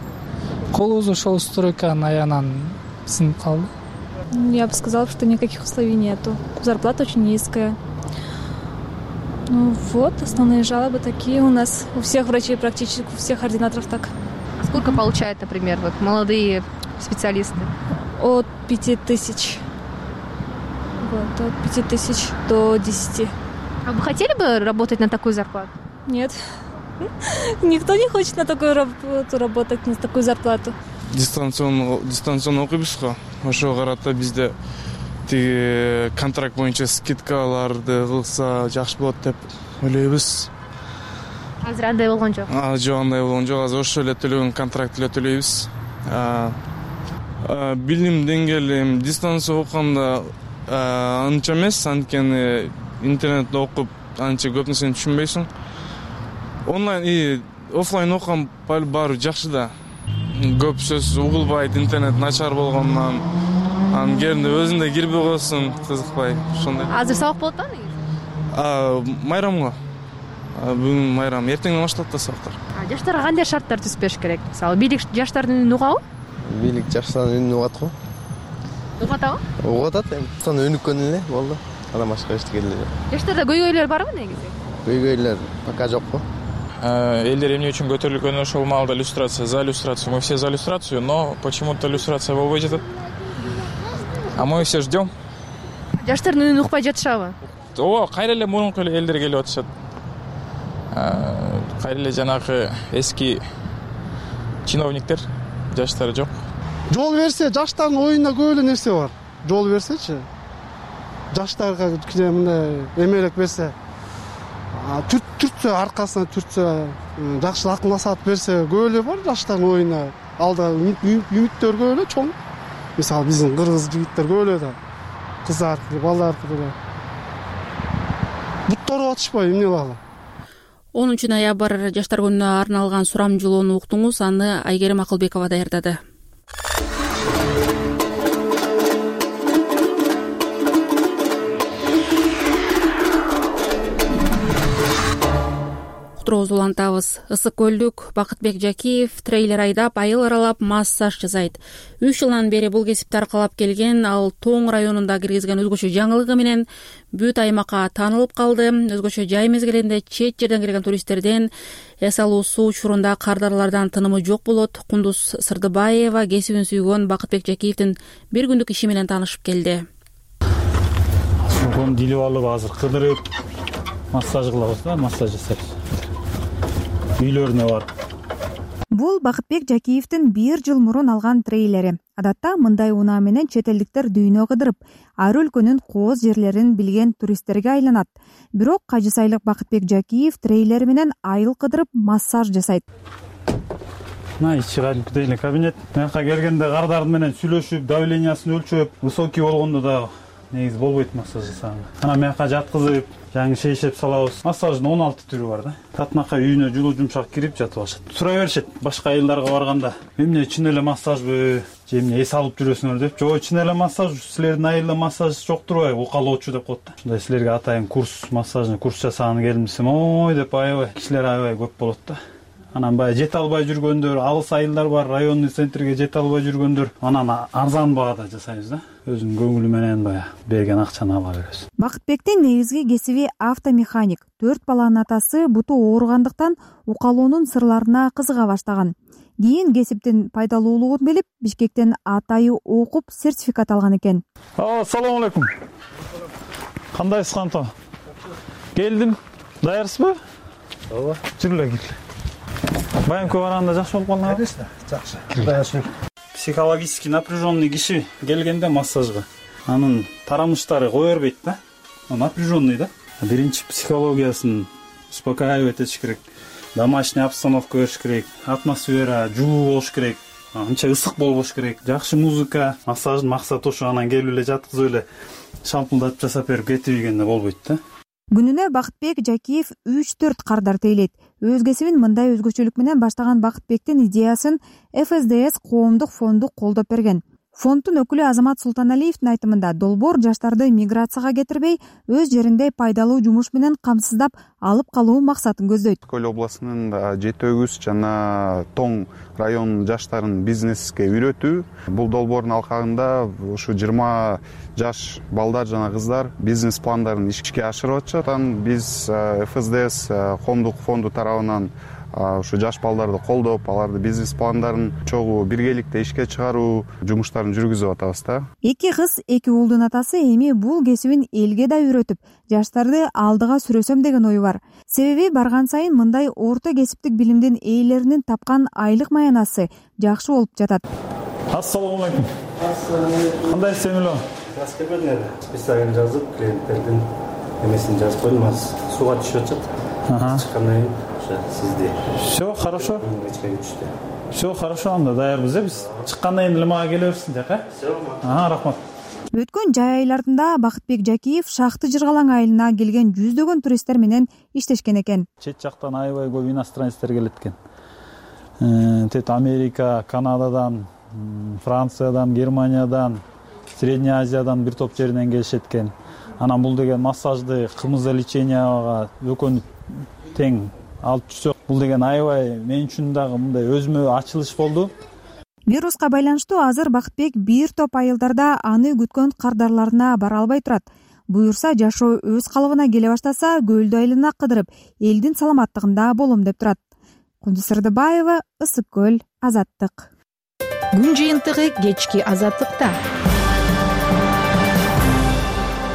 Колубуз ошол стройканын аянан сынып калды. Я бы сказала, что никаких условий нету. Зарплата очень низкая. Ну вот, основные жалобы такие у нас. У всех врачей практически, у всех ординаторов так. А сколько получают, например, вот молодые специалисты? От пяти тысяч. Вот, от пяти тысяч до десяти. А вы хотели бы работать на такую зарплату? Нет. Никто не хочет на такую работу работать, на такую зарплату. Дистанционно дистанционно окуйбуз го. Ошого карата бизде тиги контракт боюнча скидкаларды кылса жакшы болот деп ойлойбуз. Азыр андай болгон жок. А, жок, андай болгон жок. Азыр ошо эле төлөгөн контракт эле төлөйбүз. Билим деңгээли дистанция окуганда анча эмес, анткени интернетте окуп анча көп нерсени түшүнбөйсүң. Онлайн и офлайн окуган баары жакшы да. Көп сөз угулбайт, интернет начар болгондон. Анын жеринде өзүндө кирбей койсуң, кызыкпай, ошондой. Азыр сабак болот да негизи? А, майрамга. Бүгүн майрам, эртеңден башталат да сабактар. Жаштарга кандай шарттар түзбөш керек? Мисалы, бийлик жаштардын үнүн угабы? Бийлик жаштардын үнүн угат го. Угат атабы? Угат атат эми. Сон өнүккөн эле болду. Анан башка эчтеке эле. Жаштарда көйгөйлөр барбы негизи? Көйгөйлөр пока жок го. Элдер эмне үчүн көтөрүлгөнү ошол маалда иллюстрация, за иллюстрацию. Мы все за иллюстрацию, но почему-то иллюстрация болбой жатат. А мы все ждем. Жаштардын үнүн укпай жатышабы? Ооба, кайра эле мурунку эле элдер келип атышат. Кайра эле жанагы эски чиновниктер, жаштар жок. Жол берсе, жаштардын оюнда көп эле нерсе бар. Жол берсечи. Жаштарга кичине мындай эмелек берсе, түртсө, аркасына түртсө, жакшы акыл насаат берсе, көп эле бар жаштардын оюнда. Алда үмүттөр көп эле чоң. Мисалы биздин кыргыз жигиттер көп эле да. Кыздар, балдар эле. Буттары атышпай эмне кылалы? онунчу ноябрь жаштар күнүнө арналган сурамжылоону уктуңуз, аны Айгерим Акылбекова даярдады. Уктуруубузду улантабыз. Ысык көлдүк Бакытбек Жакиев трейлер айдап, айыл аралап массаж жасайт. үч жылдан бери бул кесипти аркалап келген, ал Тоң районунда киргизген өзгөчө жаңылыгы менен бүт аймакка таанылып калды. Өзгөчө жай мезгилинде чет жерден келген туристтерден эс алуу суу учурунда кардарлардан тынымы жок болот. Кундуз Сырдыбаева кесибин сүйгөн Бакытбек Жакиевдин бир күндүк иши менен таанышып келди. Сууну дилип алып азыр кыдырып массаж кылабыз да, массаж жасайбыз. Үйлөрүнө барып. Бул Бакытбек Жакиевдин бир жыл мурун алган трейлери. Адатта мындай унаа менен чет элдиктер дүйнө кыдырып, ар өлкөнүн кооз жерлерин билген туристтерге айланат. Бирок кажы сайлык Бакытбек Жакиев трейлери менен айыл кыдырып массаж жасайт. Мына ичи кадимкидей эле кабинет. Мынакка келгенде кардардын менен сүйлөшүп, давлениясын өлчөп, высокий болгондо да негизи болбойт массаж жасаганга. Анан мынакка жаткызып, жаңы шейшеп салабыз. Массаждын он алты түрү бар да. Татынакка үйүнө жылуу жумшак кирип жатып алышат. Сурай беришет башка айылдарга барганда. Эмне чын эле массажбы, же эмне эс алып жүрөсүңөр деп. Жок, чын эле массаж, силердин айылда массаж жок турбайбы, укалоочу деп коет да. Мындай силерге атайын курс, массажный курс жасаганы келмесем, ой деп аябай, кишилер аябай көп болот да. Анан баягы жете албай жүргөндөр, алыс айылдар бар, районный центрге жете албай жүргөндөр, анан арзан баада жасайбыз да. Өзүнүн көңүлү менен баягы берген акчаны ала беребиз. Бакытбектин негизги кесиби автомеханик. Төрт баланын атасы буту ооругандыктан укалоонун сырларына кызыга баштаган. Кийин кесиптин пайдалуулугун билип, Бишкектен атайы окуп сертификат алган экен. Ассаламу алейкум. Кандайсыз Канто? Келдим. Даярсызбы? Ооба. Жүр эле кел. Байымкы барганда жакшы болуп калдыңбы? Конечно, жакшы. Даяр. Психологически напряженный киши келгенде массажга анын тарамыштары кое бербейт да. Напряженный да. Биринчи психологиясын успокаивать этиш керек. Домашний обстановка бериш керек. Атмосфера жылуу болуш керек. Анча ысык болбош керек. Жакшы музыка, массаждын максаты ошо. Анан келип эле жаткызып эле шалпылдатып жасап берип кетип ийгенде болбойт да. Күнүнө Бакытбек Жакиев үч төрт кардар тейлейт. Өз кесибин мындай өзгөчөлүк менен баштаган Бакытбектин идеясын эф эс дэ эс коомдук фонду колдоп берген. Фонддун өкүлү Азамат Султаналиевдин айтымында долбоор жаштарды миграцияга кетирбей, өз жеринде пайдалуу жумуш менен камсыздап алып калуу максатын көздөйт. Көл областынын жети өгүз жана Тоң районунун жаштарын бизнеске үйрөтүү. Бул долбоордун алкагында ушу жыйырма жаш балдар жана кыздар бизнес пландарын ишке ашырып атышат. Анан биз эф эс дэ эс коомдук фонду тарабынан ушу жаш балдарды колдоп, аларды бизнес пландарын чогуу биргеликте ишке чыгаруу жумуштарын жүргүзүп атабыз да. Эки кыз, эки уулдун атасы эми бул кесибин элге да үйрөтүп, жаштарды алдыга сүрөсөм деген ою бар. Себеби барган сайын мындай орто кесиптик билимдин ээлеринин тапкан айлык маянасы жакшы болуп жатат. Ассаламу алейкум. Кандайсыз Эмило? Жакшы келбедиң эле. Списогин жазып, клиенттердин эмесин жазып койдум, азыр сууга түшүп атат. Чыккандан кийин сизди. Всё хорошо. Всё хорошо, анда даярбыз э биз. Чыккандан кийин эле мага келе берсин жака. Всё. Ага, рахмат. өткөн жай айларында Бакытбек Жакиев Шахты Жыргалаң айылына келген жүздөгөн туристтер менен иштешкен экен. Чет жактан аябай көп иностранецтер келет экен. Тет Америка, Канададан, Франциядан, Германиядан, Средняя Азиядан бир топ жеринен келишет экен. Анан бул деген массажды, кымызда экөөнү тең алып жүрсөк, бул деген аябай мен үчүн дагы мындай өзүмө ачылыш болду. Вируска байланыштуу азыр Бакытбек бир топ айылдарда аны күткөн кардарларына бара албай турат. Буюрса жашоо өз калыбына келе баштаса, көлдү айлана кыдырып, элдин саламаттыгында болом деп турат. Кундуз Сырдыбаева, Ысык көл, Азаттык. Күн жыйынтыгы кечки Азаттыкта.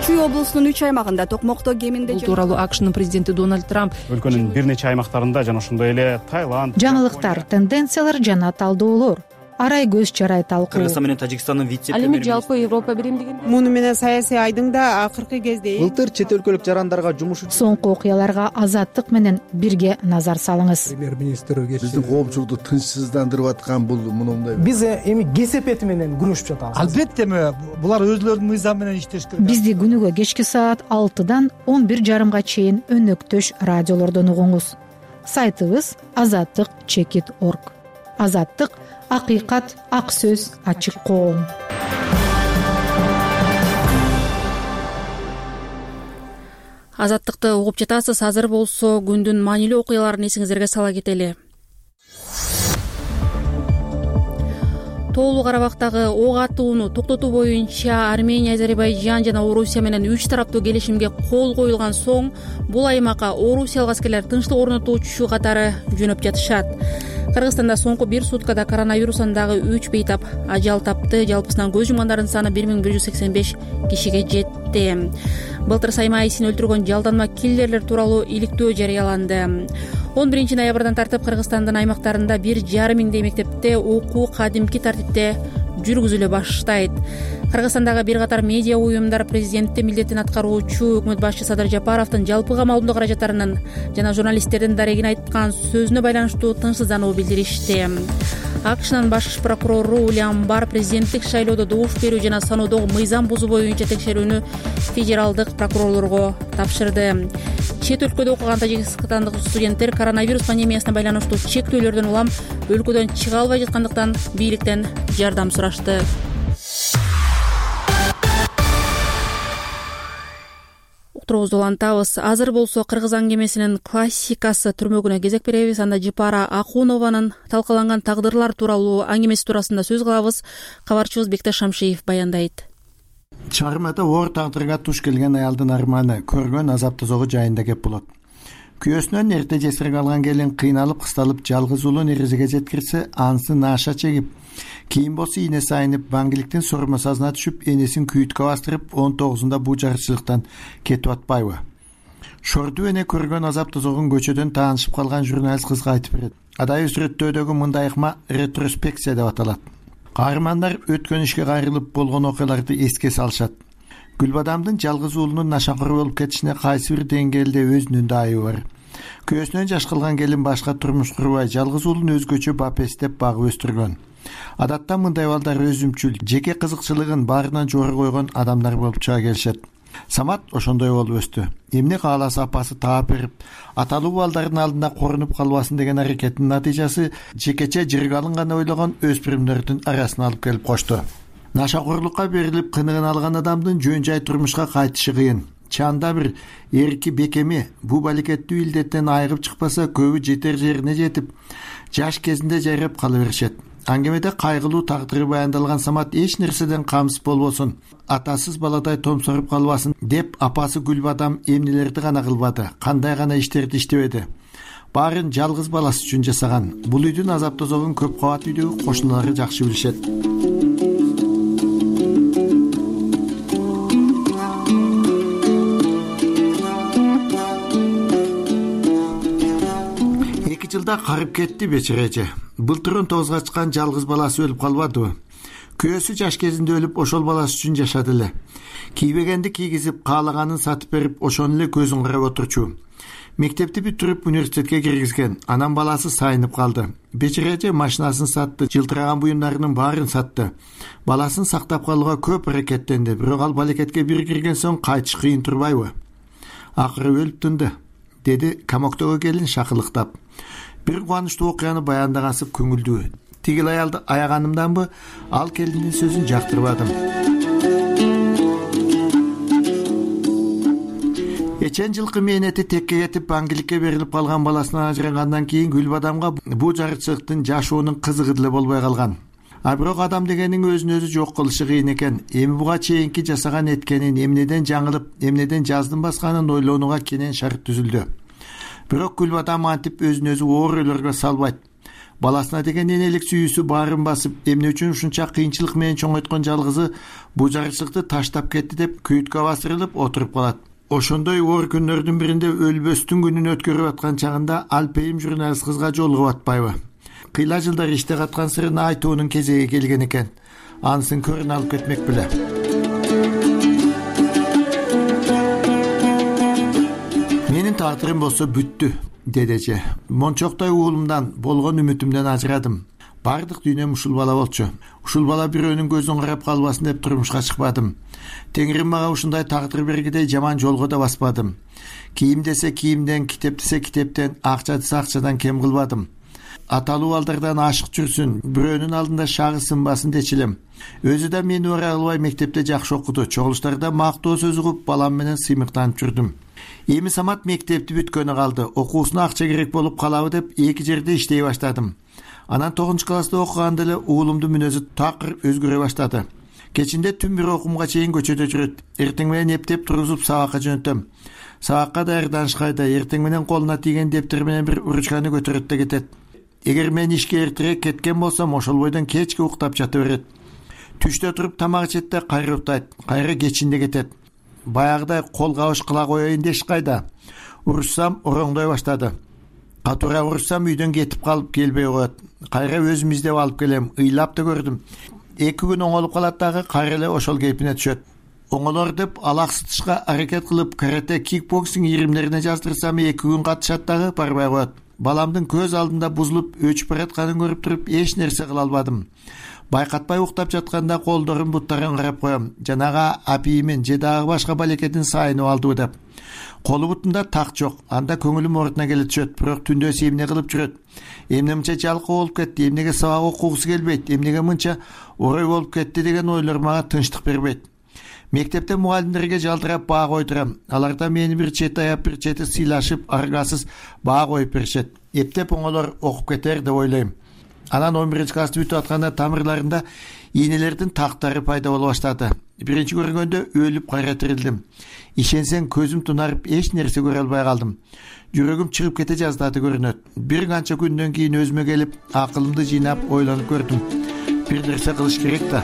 Чүй облусунун үч аймагында токмокто кеминде бул тууралуу АКШнын президенти Дональд Трамп өлкөнүн бир нече аймактарында жана ошондой эле Таиланд, жаңылыктар, тенденциялар жана талдоолор, арай көз чарай талкуу. Кыргызстан менен Тажикстандын вице-премьери. Ал эми жалпы Европа биримдигин муну менен саясий айдың да акыркы кезде былтыр чет өлкөлүк жарандарга жумуш соңку окуяларга Азаттык менен бирге назар салыңыз. Премьер-министр биздин коопчулукту тынчсыздандырып аткан бул мындай. Биз эми кесепети менен күрөшүп жатабыз. Албетте булар өзлөрүнүн мыйзамы менен иштеш керек. Бизди күнүгө кечки саат алтыдан он бир жарымга чейин өнөктөш радиолордон угуңуз. Сайтыбыз азаттык чекит орг. Азаттык — акыйкат, ак сөз, ачык коом. Азаттыкты угуп жатасыз. Азыр болсо күндүн маанилүү окуяларын эсиңиздерге сала кетели. Тоолуу Карабактагы ок атууну токтотуу боюнча Армения, Азербайжан жана Орусия менен үч тараптуу келишимге кол коюлган соң бул аймакка орусиялык аскерлер тынчтык орнотуучу катары жөнөп жатышат. Кыргызстанда соңку бир суткада коронавирустан дагы үч бейтап ажал тапты. Жалпысынан көз жумгандардын саны бир миң бир жүз сексен беш кишиге жетти. Былтыр Сайма Исин өлтүргөн жалданма киллерлер тууралуу иликтөө жарыяланды. он биринчи ноябрдан тартып Кыргызстандын аймактарында бир жарым миңдей мектепте окуу кадимки тартипте жүргүзүлө баштайт. Кыргызстандагы бир катар медиа уюмдар президенттин милдетин аткаруучу өкмөт башчы Садыр Жапаровдун жалпы камалдуу каражаттарынын жана журналисттердин дарегин айткан сөзүнө байланыштуу тынчсыздануу билдиришти. АКШнын баш прокурору Уильям Барр президенттик шайлоодо добуш берүү жана саноодогу мыйзам бузуу боюнча текшерүүнү федералдык прокурорлорго тапшырды. Чет өлкөдө окуган тажикстандык студенттер коронавирус пандемиясына байланыштуу чектөөлөрдөн улам өлкөдөн чыга албай жаткандыктан бийликтен жардам сурашты. Уктуруубузду улантабыз. Азыр болсо Кыргыз аңгемесинин классикасы түрмөгүнө кезек беребиз. Анда Жипара Акунованын талкаланган тагдырлар тууралуу аңгемеси туурасында сөз кылабыз. Кабарчыбыз Бектеш Шамшиев баяндайт. Чыгармада оор тагдырга туш келген аялдын арманы, көргөн азап тозогу жайында кеп болот. Күйөөсүнөн эрте жесир калган келин кыйналып кысталып жалгыз уулун эрезеге жеткирсе, анысы нааша чегип, кийин болсо ийнеси айнып, баңгиликтин сормасазына түшүп, энесин күйүткө бастырып, он тогузунда бул жарычылыктан кетип атпайбы? Шорду эне көргөн азап тозогун көчөдөн таанышып калган журналист кызга айтып берет. Адай сүрөттөөдөгү мындай ыкма ретроспекция деп аталат. Каармандар өткөн ишке кайрылып болгон окуяларды эске салышат. Гүлбадамдын жалгыз уулунун нашакор болуп кетишине кайсы бир деңгээлде өзүнүн да айыбы бар. Күйөөсүнөн жаш кылган келин башка турмуш курбай, жалгыз уулун өзгөчө бапестеп багып өстүргөн. Адатта мындай балдар өзүмчүл, жеке кызыкчылыгын баарынан жогору койгон адамдар болуп чыга келишет. Самат ошондой болуп өстү. Эмне кааласа апасы таап берип, аталуу балдардын алдында корунуп калбасын деген аракеттин натыйжасы жекече жырга алынганы ойлогон өспүрүмдөрдүн арасына алып келип кошту. Нашакорлукка берилип кыныгын алган адамдын жөн жай турмушка кайтышы кыйын. Чанда бир эрки бекеми бул балекеттүү илдеттен айыгып чыкпаса, көбү жетер жерине жетип, жаш кезинде жайрап кала беришет. Аңгемеде кайгылуу тагдыры баяндалган Самат эч нерседен камсыз болбосун, атасыз баладай томсоруп калбасын деп апасы Гүлбадам эмнелерди гана кылбады, кандай гана иштерди иштебеди. Баарын жалгыз баласы үчүн жасаган. Бул үйдүн азап тозогун көп кабат үйдөгү кошуналары жакшы билишет. Жылда карып кетти бечереже. Былтыр он тогузга чыккан жалгыз баласы өлүп калбадыбы? Күйөөсү жаш кезинде өлүп, ошол баласы үчүн жашады эле. Кийбегенди кийгизип, каалаганын сатып берип, ошону эле көзүн карап отурчу. Мектепти бүтүрүп университетке киргизген. Анан баласы сайынып калды. Бечара эже машинасын сатты, жылтыраган буюмдарынын баарын сатты. Баласын сактап калууга көп аракеттенди, бирок ал балекетке бир кирген соң кайтыш кыйын турбайбы? Акыры өлүп тынды, деди комоктогу келин шакылыктап. Бир кубанычтуу окуяны баяндагансып көңүлдүү. Тигил аялды аяганымданбы, ал келиндин сөзүн жактырбадым. Эчен жылкы мээнети текке кетип аңгиликке берилип калган баласынан ажырагандан кийин Гүлбадамга бул жарычылыктын жашоонун кызыгы деле болбой калган. А бирок адам дегенин өзүн өзү жок кылышы кыйын экен. Эми буга чейинки жасаган эткенин, эмнеден жаңылып, эмнеден жаздын басканын ойлонууга кенен шарт түзүлдү. Бирок Гүлбадам антип өзүн өзү оор ойлорго салбайт. Баласына деген энелик сүйүүсү баарын басып, эмне үчүн ушунча кыйынчылык менен чоңойткон жалгызы бул жарычылыкты таштап кетти деп күйүткө басырылып отуруп калат. Ошондой оор күндөрдүн биринде өлбөстүн күнүн өткөрүп аткан чагында Алпейим журналист кызга жолугуп атпайбы? Кыйла жылдар иште каткан сырын айтуунун кезеги келген экен. Анысын көрүн алып кетмек беле. Менин таатырым болсо бүттү, деди эже. Мончоктой уулумдан, болгон үмүтүмдөн ажырадым. Бардык дүйнөм ушул бала болчу. Ушул бала бирөөнүн көзүн карап калбасын деп турмушка чыкпадым. Теңирим мага ушундай тагдыр бергидей жаман жолго да баспадым. Кийим десе кийимден, китеп десе китептен, акча десе акчадан кем кылбадым. Аталуу балдардан ашык жүрсүн, бирөөнүн алдында шагы сынбасын дечилем. Өзү да мени ора албай мектепте жакшы окуду. Чогулуштарда мактоо сөз угуп, балам менен сыймыктанып жүрдүм. Эми Самат мектепти бүткөнү калды. Окуусуна акча керек болуп калабы деп эки жерде иштей баштадым. Анан тогузунчу класста окуганда эле уулумдун мүнөзү такыр өзгөрө баштады. Кечинде түн бир окумга чейин көчөдө жүрөт. Эртең менен эптеп тургузуп сабакка жөнөтөм. Сабакка даярданышкайда эртең менен колуна тийген дептер менен бир ручканы көтөрөт да кетет. Эгер мен ишке эртерээк кеткен болсом, ошол бойдон кечке уктап жата берет. Түштө туруп тамак ичет да кайра уктайт, кайра кечинде кетет. Баягыдай кол кабыш кыла коеюн деш кайда. Урушсам ороңдой баштады. Катуура урушсам үйдөн кетип калып келбей коет. Кайра өзүм издеп алып келем, ыйлап да көрдүм. Эки күн оңолуп калат дагы кайра эле ошол кейпине түшөт. Оңолор деп алаксытышка аракет кылып карате, кикбоксинг иримдерине жаздырсам эки күн катышат дагы барбай коет. Баламдын көз алдында бузулуп өчүп баратканын көрүп туруп эч нерсе кыла албадым. Байкатпай уктап жатканда колдорун буттарын карап коем. Жанага апийимин же дагы башка балекетин сайынып алдыбы деп. Колу бутунда так жок. Анда көңүлүм ордуна келе түшөт, бирок түндөсү эмне кылып жүрөт. Эмне мынча жалкы болуп кетти, эмнеге сабак окугусу келбейт, эмнеге мынча орой болуп кетти деген ойлор мага тынчтык бербейт. Мектепте мугалимдерге жалтырап баа койдурам. Аларда мени бир чети аяп, бир чети сыйлашып, аргасыз баа коюп беришет. Эптеп оңолор окуп кетер деп ойлойм. Анан он биринчи классты бүтүп атканда тамырларында ийнелердин тактары пайда боло баштады. Биринчи көргөндө өлүп кайра тирилдим. Ишенсең көзүм тунарып эч нерсе көрө албай калдым. Жүрөгүм чыгып кете жаздады көрүнөт. Бир канча күндөн кийин өзүмө келип, акылымды жыйнап ойлонуп көрдүм. Бир нерсе кылыш керек да.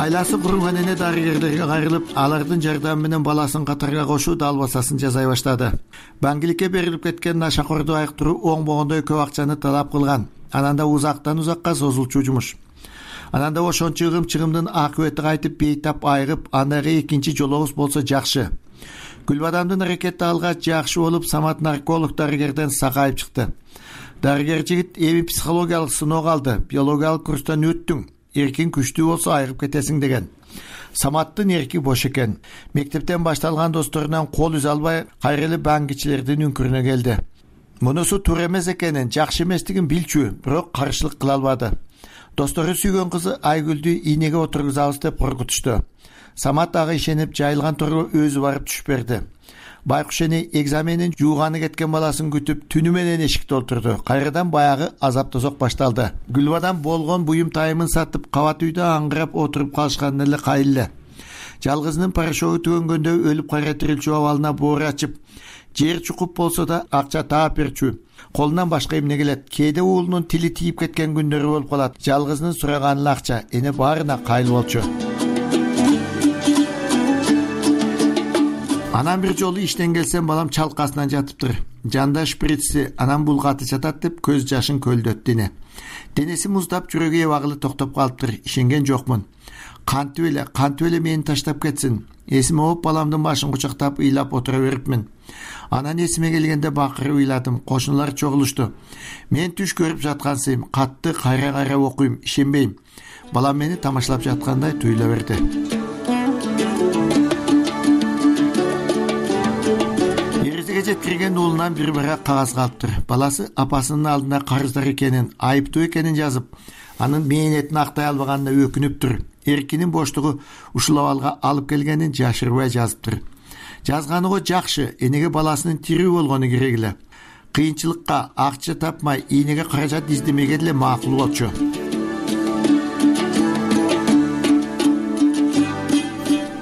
Айласы курулган эне дарыгерлерге кайрылып, алардын жардамы менен баласын катарга кошуу далбасасын жасай баштады. Баңгиликке берилип кеткен нашакорду айыктыруу оңбогондой көп акчаны талап кылган. Анан да узактан узакка созулчу жумуш. Анан да ошончо ыгым-чыгымдын акыбети кайтып бейтап айыгып, андайга экинчи жолугубуз болсо жакшы. Гүлбадамдын аракети алгач жакшы болуп, Самат нарколог дарыгерден сакайып чыкты. Дарыгер жигит эми психологиялык сыноо алды. Биологиялык курстан өттүң. Эркин күчтүү болсо айыгып кетесиң деген. Саматтын эрки бош экен. Мектептен башталган досторунан кол үзе албай, кайра эле баңгичилердин үңкүрүнө келди. Мунусу туура эмес экенин, жакшы эместигин билчү, бирок каршылык кыла албады. Достору сүйгөн кызы Айгүлдү ийнеге отургузабыз деп коркутушту. Самат ага ишенип, жайылган торго өзү барып түшүп берди. Байкуш эне экзаменин жууганы кеткен баласын күтүп, түнү менен эшикте отурду. Кайрадан баягы азап тозок башталды. Гүлбадам болгон буюм тайымын сатып, кабат үйдө аңгырап отуруп калышкан эле кайылы. Жалгызынын парашогу түгөнгөндө өлүп кайра тирилчү абалына боор ачып, жер чукуп болсо да акча таап берчү. Колунан башка эмне келет? Кээде уулунун тили тийип кеткен күндөрү болуп калат. Жалгызынын сураганы акча, эне баарына кайыл болчу. Анан бир жолу иштен келсем, балам чалкасынан жатыптыр. Жанда шприцси, анан булгаты жатат деп көз жашын көлдөт дене. Денеси муздап, жүрөгү ебагылы токтоп калыптыр. Ишенген жокмун. кантип эле кантип эле мени таштап кетсин. Эсиме алып баламдын башын кучактап ыйлап отура берипмин. Анан эсиме келгенде бакырып ыйладым. Кошуналар чогулушту. Мен түш көрүп жаткансыйм. Катты кайра кайра окуйм, ишенбейм. Балам мени тамашалап жаткандай туюла берди. Эрезеге жеткирген уулунан бир барак кагаз калыптыр. Баласы апасынын алдында карыздар экенин, айыптуу экенин жазып, анын мээнетин актай албаганына өкүнүптүр. Эркинин боштугу ушул абалга алып келгенин жашырбай жазыптыр. Жазганы го жакшы, энеге баласынын тирүү болгону керек эле. Кыйынчылыкка акча тапмай, ийнеге каражат издемеге деле макул болчу.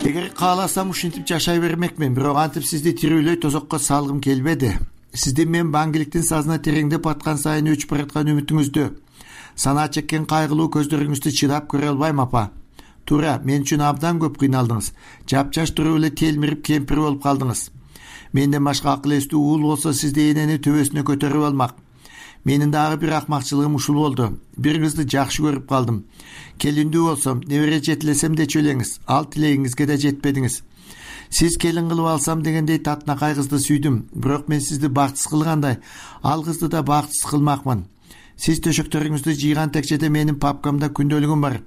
Эгер кааласам ушинтип жашай бермекмин, бирок антип сизди тирүүлөй тозокко салгым келбеди. Сиздин мен баңгиликтин сазына тереңдеп аткан сайын өчүп бараткан үмүтүңүздү, санаа чеккен кайгылуу көздөрүңүздү чыдап көрө албайм апа. Туура, мен үчүн абдан көп кыйналдыңыз. Жапжаш туруп эле телмирип кемпир болуп калдыңыз. Менден башка акыл эстүү уул болсо сизди энени төбөсүнө көтөрүп алмак. Менин дагы бир акмакчылыгым ушул болду. Бир кызды жакшы көрүп калдым. Келиндүү болсом, небере жетилесем дечү элеңиз. Ал тилегиңизге да жетпедиңиз. Сиз келин кылып алсам дегендей татынакай кызды сүйдүм. Бирок мен сизди бактысыз кылгандай, ал кызды да бактысыз кылмакмын. Сиз төшөктөрүңүздү жыйган текчеде менин папкамда күндөлүгүм бар.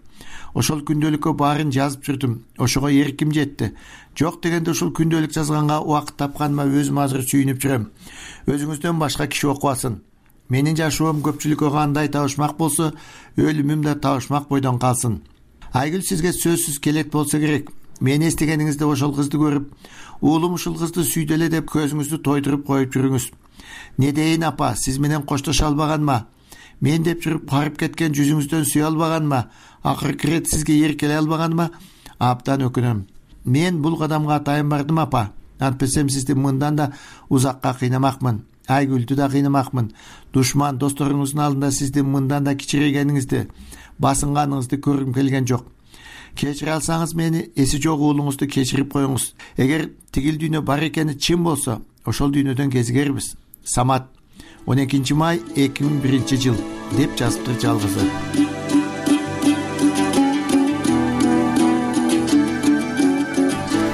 Ошол күндөлүккө баарын жазып жүрдүм. Ошого эрким жетти. Жок дегенде ушул күндөлүк жазганга убакыт тапканыма өзүм азыр сүйүнүп жүрөм. Өзүңүздөн башка киши окубасын. Менин жашоом көпчүлүккө кандай табышмак болсо, өлүмүм да табышмак бойдон калсын. Айгүл сизге сөзсүз келет болсо керек. Мени эстегениңизде ошол кызды көрүп, уулум ушул кызды сүйдү эле деп көзүңүздү тойдуруп коюп жүрүңүз. Не дейин апа, сиз менен коштошо албаганма? Мен деп жүрүп карып кеткен жүзүңүздөн сүйө албаганма? Акыркы ирет сизге эркелей албаганыма абдан өкүнөм. Мен бул кадамга атайын бардым апа. Антпесем сизди мындан да узакка кыйнамакмын. Айгүлдү да кыйнамакмын. Душман досторуңуздун алдында сизди мындан да кичирейгениңизди, басынганыңызды көргүм келген жок. Кечире алсаңыз мени, эси жок уулуңузду кечирип коюңуз. Эгер тигил дүйнө бар экени чын болсо, ошол дүйнөдөн кезигербиз. Самат, он экинчи май эки миң биринчи жыл деп жазыптыр жалгызы.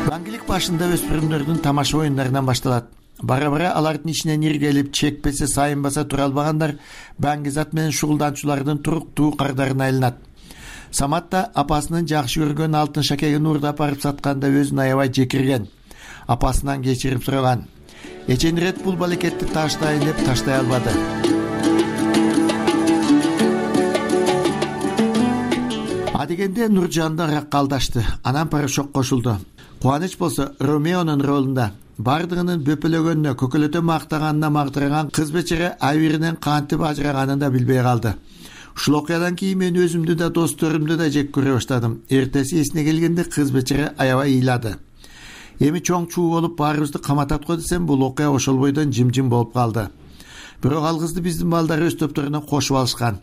Баңгилик башында өспүрүмдөрдүн тамаша оюндарынан башталат. Бара-бара алардын ичинен иргелип, чекпесе, сайынбаса тура албагандар баңгизат менен шугулданчулардын туруктуу кардарына айланат. Самат да апасынын жакшы көргөн алтын шакегин уурдап барып сатканда өзүн аябай жекирген. Апасынан кечирим сураган. Эчен ирет бул балекетти таштайын деп таштай албады. Адегенде Нуржан да ракка алдашты. Анан Порошок кошулду. Кубаныч болсо Ромеонун ролунда бардыгынын бөпөлөгөнүнө, көкөлөтө мактаганына мактырган кыз бечере Айвиринен кантип ажыраганын да билбей калды. Ушул окуядан кийин мен өзүмдү да досторумду да жек көрө баштадым. Эртеси эсине келгенде кыз бечере аябай ыйлады. Эми чоң чуу болуп баарыбызды каматат го десем, бул окуя ошол бойдон жим-жим болуп калды. Бирок ал кызды биздин балдар өз топторуна кошуп алышкан.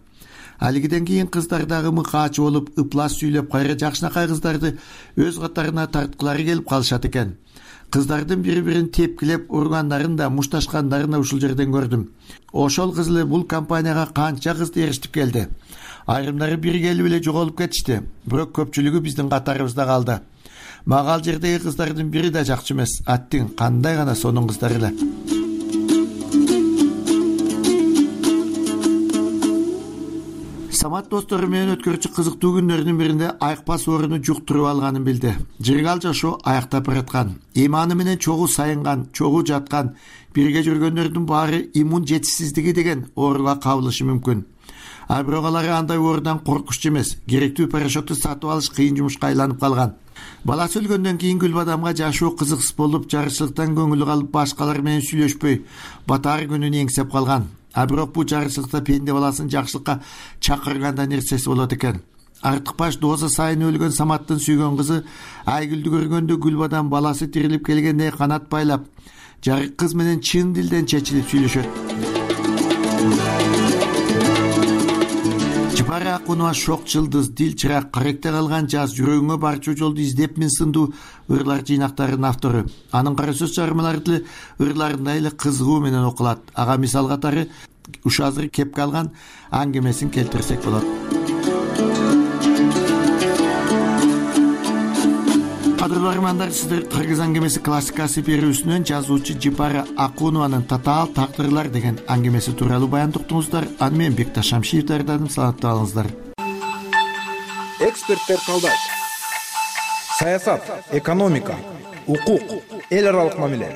Алигиден кийин кыздар дагы мыкаачы болуп, ыплас сүйлөп, кайра жакшынакай кыздарды өз катарына тарткылары келип калышат экен. Кыздардын бири-бирин тепкилеп ургандарын да, мушташкандарын да ушул жерден көрдүм. Ошол кыз эле бул компанияга канча кызды эрişтип келди. Айрымдары бир келип эле жоголуп кетишти, бирок көпчүлүгү биздин катарыбызда калды. Мага ал жердеги кыздардын бири да жакчы эмес. Аттиң кандай гана сонун кыздар эле. Самат достору менен өткөрчү кызыктуу күндөрдүн биринде айыкпас ооруну жуктуруп алганын билди. Жыргал жашоо аяктап бараткан. Иманы менен чогуу сайынган, чогуу жаткан, бирге жүргөндөрдүн баары иммун жетишсиздиги деген ооруга кабылышы мүмкүн. А бирок алар андай оорудан коркучу эмес. Керектүү Порошокту сатып алыш кыйын жумушка айланып калган. Баласы өлгөндөн кийин Гүлбадамга жашоо кызыксыз болуп, жарычылыктан көңүлү калып, башкалар менен сүйлөшпөй, батар күнүн эңсеп калган. А бирок бул жарычылыкта пенде баласын жакшылыкка чакырганда нерсеси болот экен. Артыкбаш доза сайын өлгөн Саматтын сүйгөн кызы Айгүлдү көргөндө Гүлбадам баласы тирилип келгенде канат байлап, жарык кыз менен чын дилден чечилип сүйлөшөт. Жыпара Акунова шок жылдыз, дил чырак, каректе калган жаз, жүрөгүңө барчу жолду издепмин сындуу ырлар жыйнактарынын автору. Анын кара сөз чыгармалары деле ырларындай эле кызыгуу менен окулат. Ага мисал катары ушу азыр кепке алган аңгемесин келтирсек болот. кадырлуу армандар, сиздер Кыргыз аңгемеси классикасы берүүсүнөн жазуучу Жипара Акунованын Татаал тагдырлар деген аңгемеси тууралуу баян уктуңуздар. Аны мен Бекташ Шамшиев даярдадым. Саламаттуу болуңуздар. Эксперттер калдайт. Саясат, экономика, укук, эл аралык мамиле,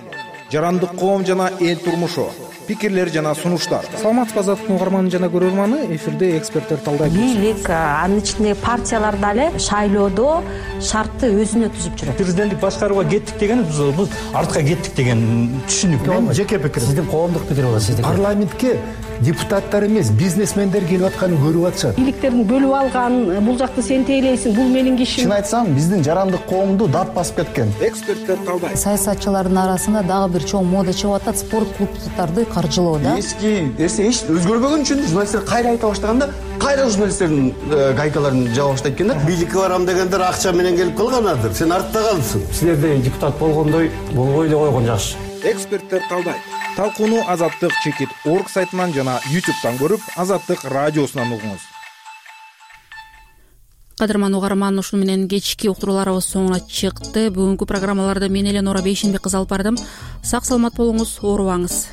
жарандык коом жана эл турмушу, пикирлер жана сунуштар. Саламатсызбы азаттыктын угарманы жана көрөрманы, эфирде эксперттер талдайт. Бийлик, анын ичинде партиялар дагы шайлоодо шартты өзүнө түзүп жүрөт. Президенттик башкарууга кеттик деген биз артка кеттик деген түшүнүк. Мен жеке пикирим. Сиздин коомдук пикир болот сиздики. Парламентке депутаттар эмес, бизнесмендер келип атканын көрүп атышат. Бийликтердин бөлүп алган, бул жакты сен тейлейсиң, бул менин кишим. Чын айтсам, биздин жарандык коомду дат басып кеткен. Эксперттер талдайт. Саясатчылардын арасында дагы бир чоң мода чыгып атат, спорт клубдарды каржылоо да. Эски нерсе эч өзгөрбөгөн үчүн журналисттер кайра айта баштаганда, кайра журналисттердин гайкаларын жаба баштайт экен да. Бийликке барам дегендер акча менен келип калганадыр. Сен артта калдсың. Силерде депутат болгондой болбой эле койгон жакшы. Эксперттер талдайт. Талкууну Азаттык чекит орг сайтынан жана ютубтан көрүп, Азаттык радиосунан угуңуз. Кадырман угарман, ушуну менен кечки уктурууларыбыз соңуна чыкты. Бүгүнкү программаларды мен эле Нора Бейшенбек кызы алып бардым. Сак саламат болуңуз, оорубаңыз.